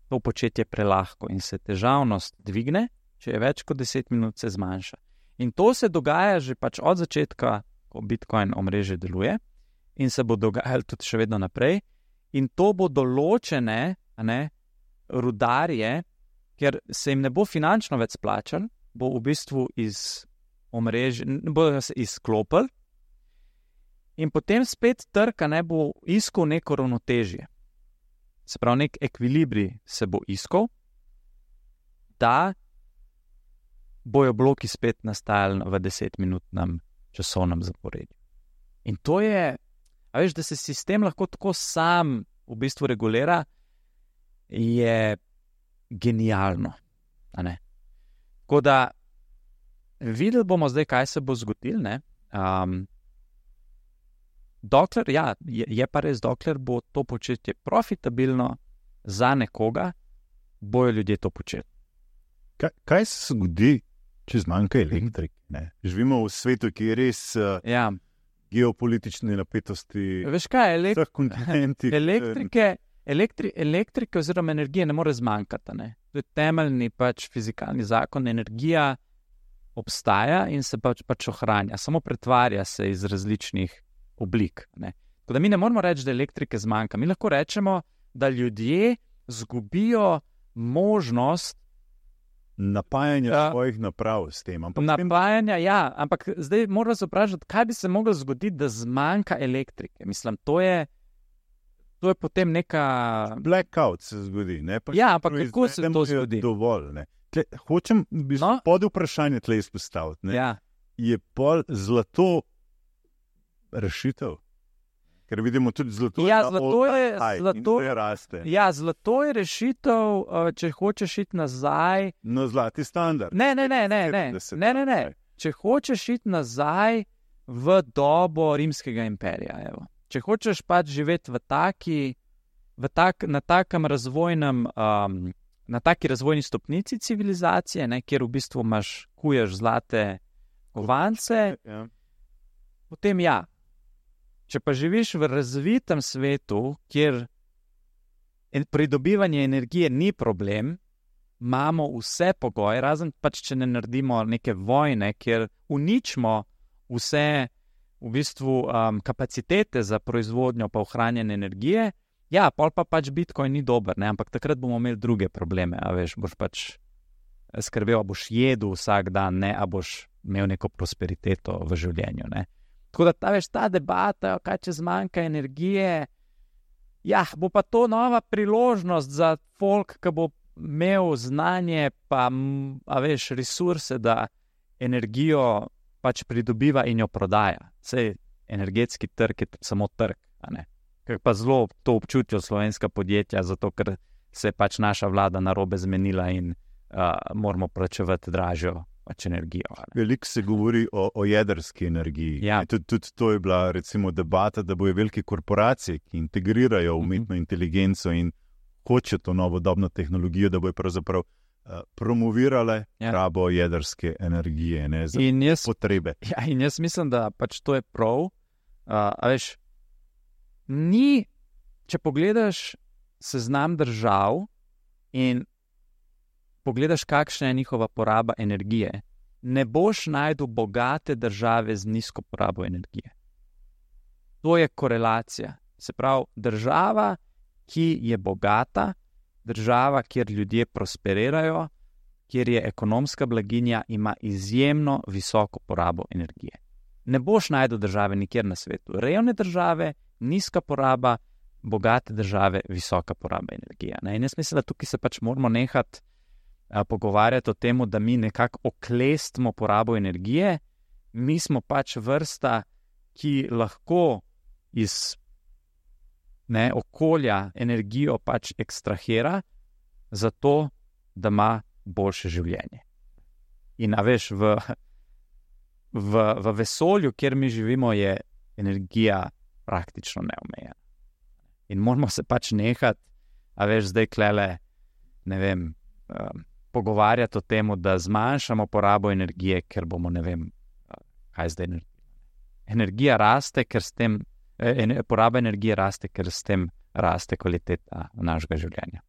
to početje prelahko in se težavnost dvigne, če je več kot deset minut, se zmanjša. In to se dogaja že pač od začetka, ko Bitcoin omrežje deluje, in se bo dogajalo tudi še vedno naprej. In to bo določene, a ne, rudarje, ker se jim ne bo finančno več splačal, bo v bistvu iz omrežja, bo se izklopil in potem spet trg, a ne, bo iskal neko ravnotežje. Se pravi, nek ekvilibrij se bo iskal, da bojo bloki spet nastajali v desetminutnem časovnem zaporedju. In to je, a veš, da se sistem lahko tako sam v bistvu regulira, je genialno. A ne? Tako da videli bomo zdaj, kaj se bo zgodilo. Ne? Um, dokler, ja, je, je pa res, dokler bo to početje profitabilno za nekoga, bojo ljudje to početi. kaj, kaj se zgodi, če zmanjka elektrike? Ne? Živimo v svetu, ki je res uh, Ja. geopolitične napetosti Veš kaj, v elek vseh kontinentih. elektrike, elektri elektrike oziroma energije ne more zmanjkati. Ne? To je temeljni pač fizikalni zakon. Energija obstaja in se pač, pač ohranja, samo pretvarja se iz različnih oblik. Ne? Tako da mi ne moramo reči, da elektrike zmanjka. Mi lahko rečemo, da ljudje zgubijo možnost Napajanje Ja. svojih naprav s tem. Ampak s tem napajanja. Ja, ampak zdaj moramo se vprašati, kaj bi se moglo zgoditi, da zmanjka elektrike. Mislim, to je, to je potem neka. blackout se zgodi. Ne? Pa Ja, še ampak kako se to proizvedemo je zgodi? Dovolj, ne? Tle, hočem v bistvu No. pod vprašanje tle izpostaviti. Ne? Ja. Je pol zlato rešitev? Ker vidimo tudi zlato. Ja, na zlato je- all-time high in zlato- zdaj raste. Ja, zlato je rešitev, uh, če hočeš iti nazaj. Na zlati standard. Ne, ne, ne, ne, ne, sedemdeset, ne, ne, ne. ne. Če hočeš iti nazaj v dobo rimskega imperija, evo. Če hočeš pač živeti v taki, v tak, na takem razvojnem, um, na taki razvojni stopnici civilizacije, ne, kjer v bistvu imaš, kuješ zlate kovance, Ja. potem ja. Če pa živiš v razvitem svetu, kjer en- pridobivanje energije ni problem, imamo vse pogoje, razen pač, če ne naredimo neke vojne, kjer uničimo vse v bistvu um, kapacitete za proizvodnjo pa ohranjanje energije, ja, pol pa pač Bitcoin ni dober, ne? Ampak takrat bomo imeli druge probleme, a veš, boš pač skrbel, a boš jedel vsak dan, ne, a boš imel neko prosperiteto v življenju, ne. Tako da ta, veš, ta debata, kaj če zmanjka energije, ja, bo pa to nova priložnost za folk, ki bo imel znanje, pa, m, a veš, resurse, da energijo pač pridobiva in jo prodaja. Sej energetski trg je tudi samo trg, a ne. Ker pa zelo to občutijo slovenska podjetja, zato ker se je pač naša vlada narobe zmenila in uh, moramo plačevati dražjo pač energijo. a ne. Veliko se govori o, o jedrski energiji. Ja. Tudi, tudi to je bila recimo debata, da bojo velike korporacije, ki integrirajo umetno inteligenco in hoče to novodobno tehnologijo, da bojo pravzaprav uh, promovirale Ja. rabo jedrske energije, ne, za In jaz potrebe. Ja, in jaz mislim, da pač to je prav. Uh, a veš, ni, če pogledaš seznam držav in pogledaš, kakšna je njihova poraba energije, ne boš najdel bogate države z nizko porabo energije. To je korelacija. Se pravi, država, ki je bogata, država, kjer ljudje prosperirajo, kjer je ekonomska blaginja, ima izjemno visoko porabo energije. Ne boš najdel države nikjer na svetu. Revne države, nizka poraba, bogate države, visoka poraba energije. Ne? In jaz mislim, da tukaj se pač moramo nehati a, pogovarjati o tem, da mi nekako oklestimo porabo energije. Mi smo pač vrsta, ki lahko iz ne, okolja energijo pač ekstrahira, zato da ima boljše življenje. In a veš, v, v, v vesolju, kjer mi živimo, je energija praktično neomejena. In moramo se pač nehati, a veš, zdaj klele, ne vem, um, pogovarjati o tem, da zmanjšamo porabo energije, ker bomo, ne vem, kaj zdaj energija. Energija raste, ker s tem, eh, poraba energije raste, ker s tem raste kvaliteta našega življenja.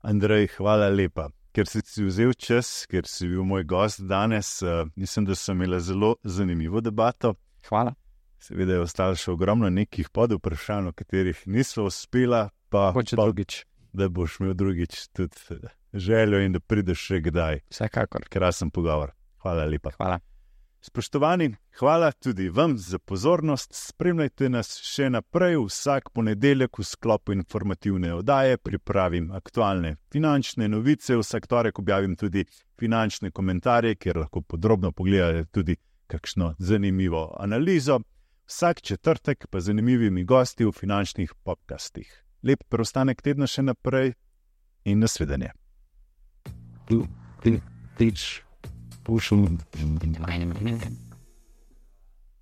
Andrej, hvala lepa. Ker si si vzel čas, ker si bil moj gost danes, uh, mislim, da sem imela zelo zanimivo debato. Hvala. Seveda je ostalo še ogromno nekih podvprašanj, o katerih nismo uspela, pa, pa drugič. Da boš imel drugič tudi željo in da prideš še kdaj. Vsekakor. Krasen pogovor. Hvala lepa. Hvala. Spoštovani, hvala tudi vam za pozornost. Spremljajte nas še naprej. Vsak ponedeljek v sklopu informativne oddaje pripravim aktualne finančne novice. Vsak torek objavim tudi finančne komentarje, kjer lahko podrobno pogledate tudi kakšno zanimivo analizo. Vsak četrtek pa zanimivimi gosti v finančnih podcastih. Lep preostanek tedna še naprej in nasvidenje. Teach. Push them.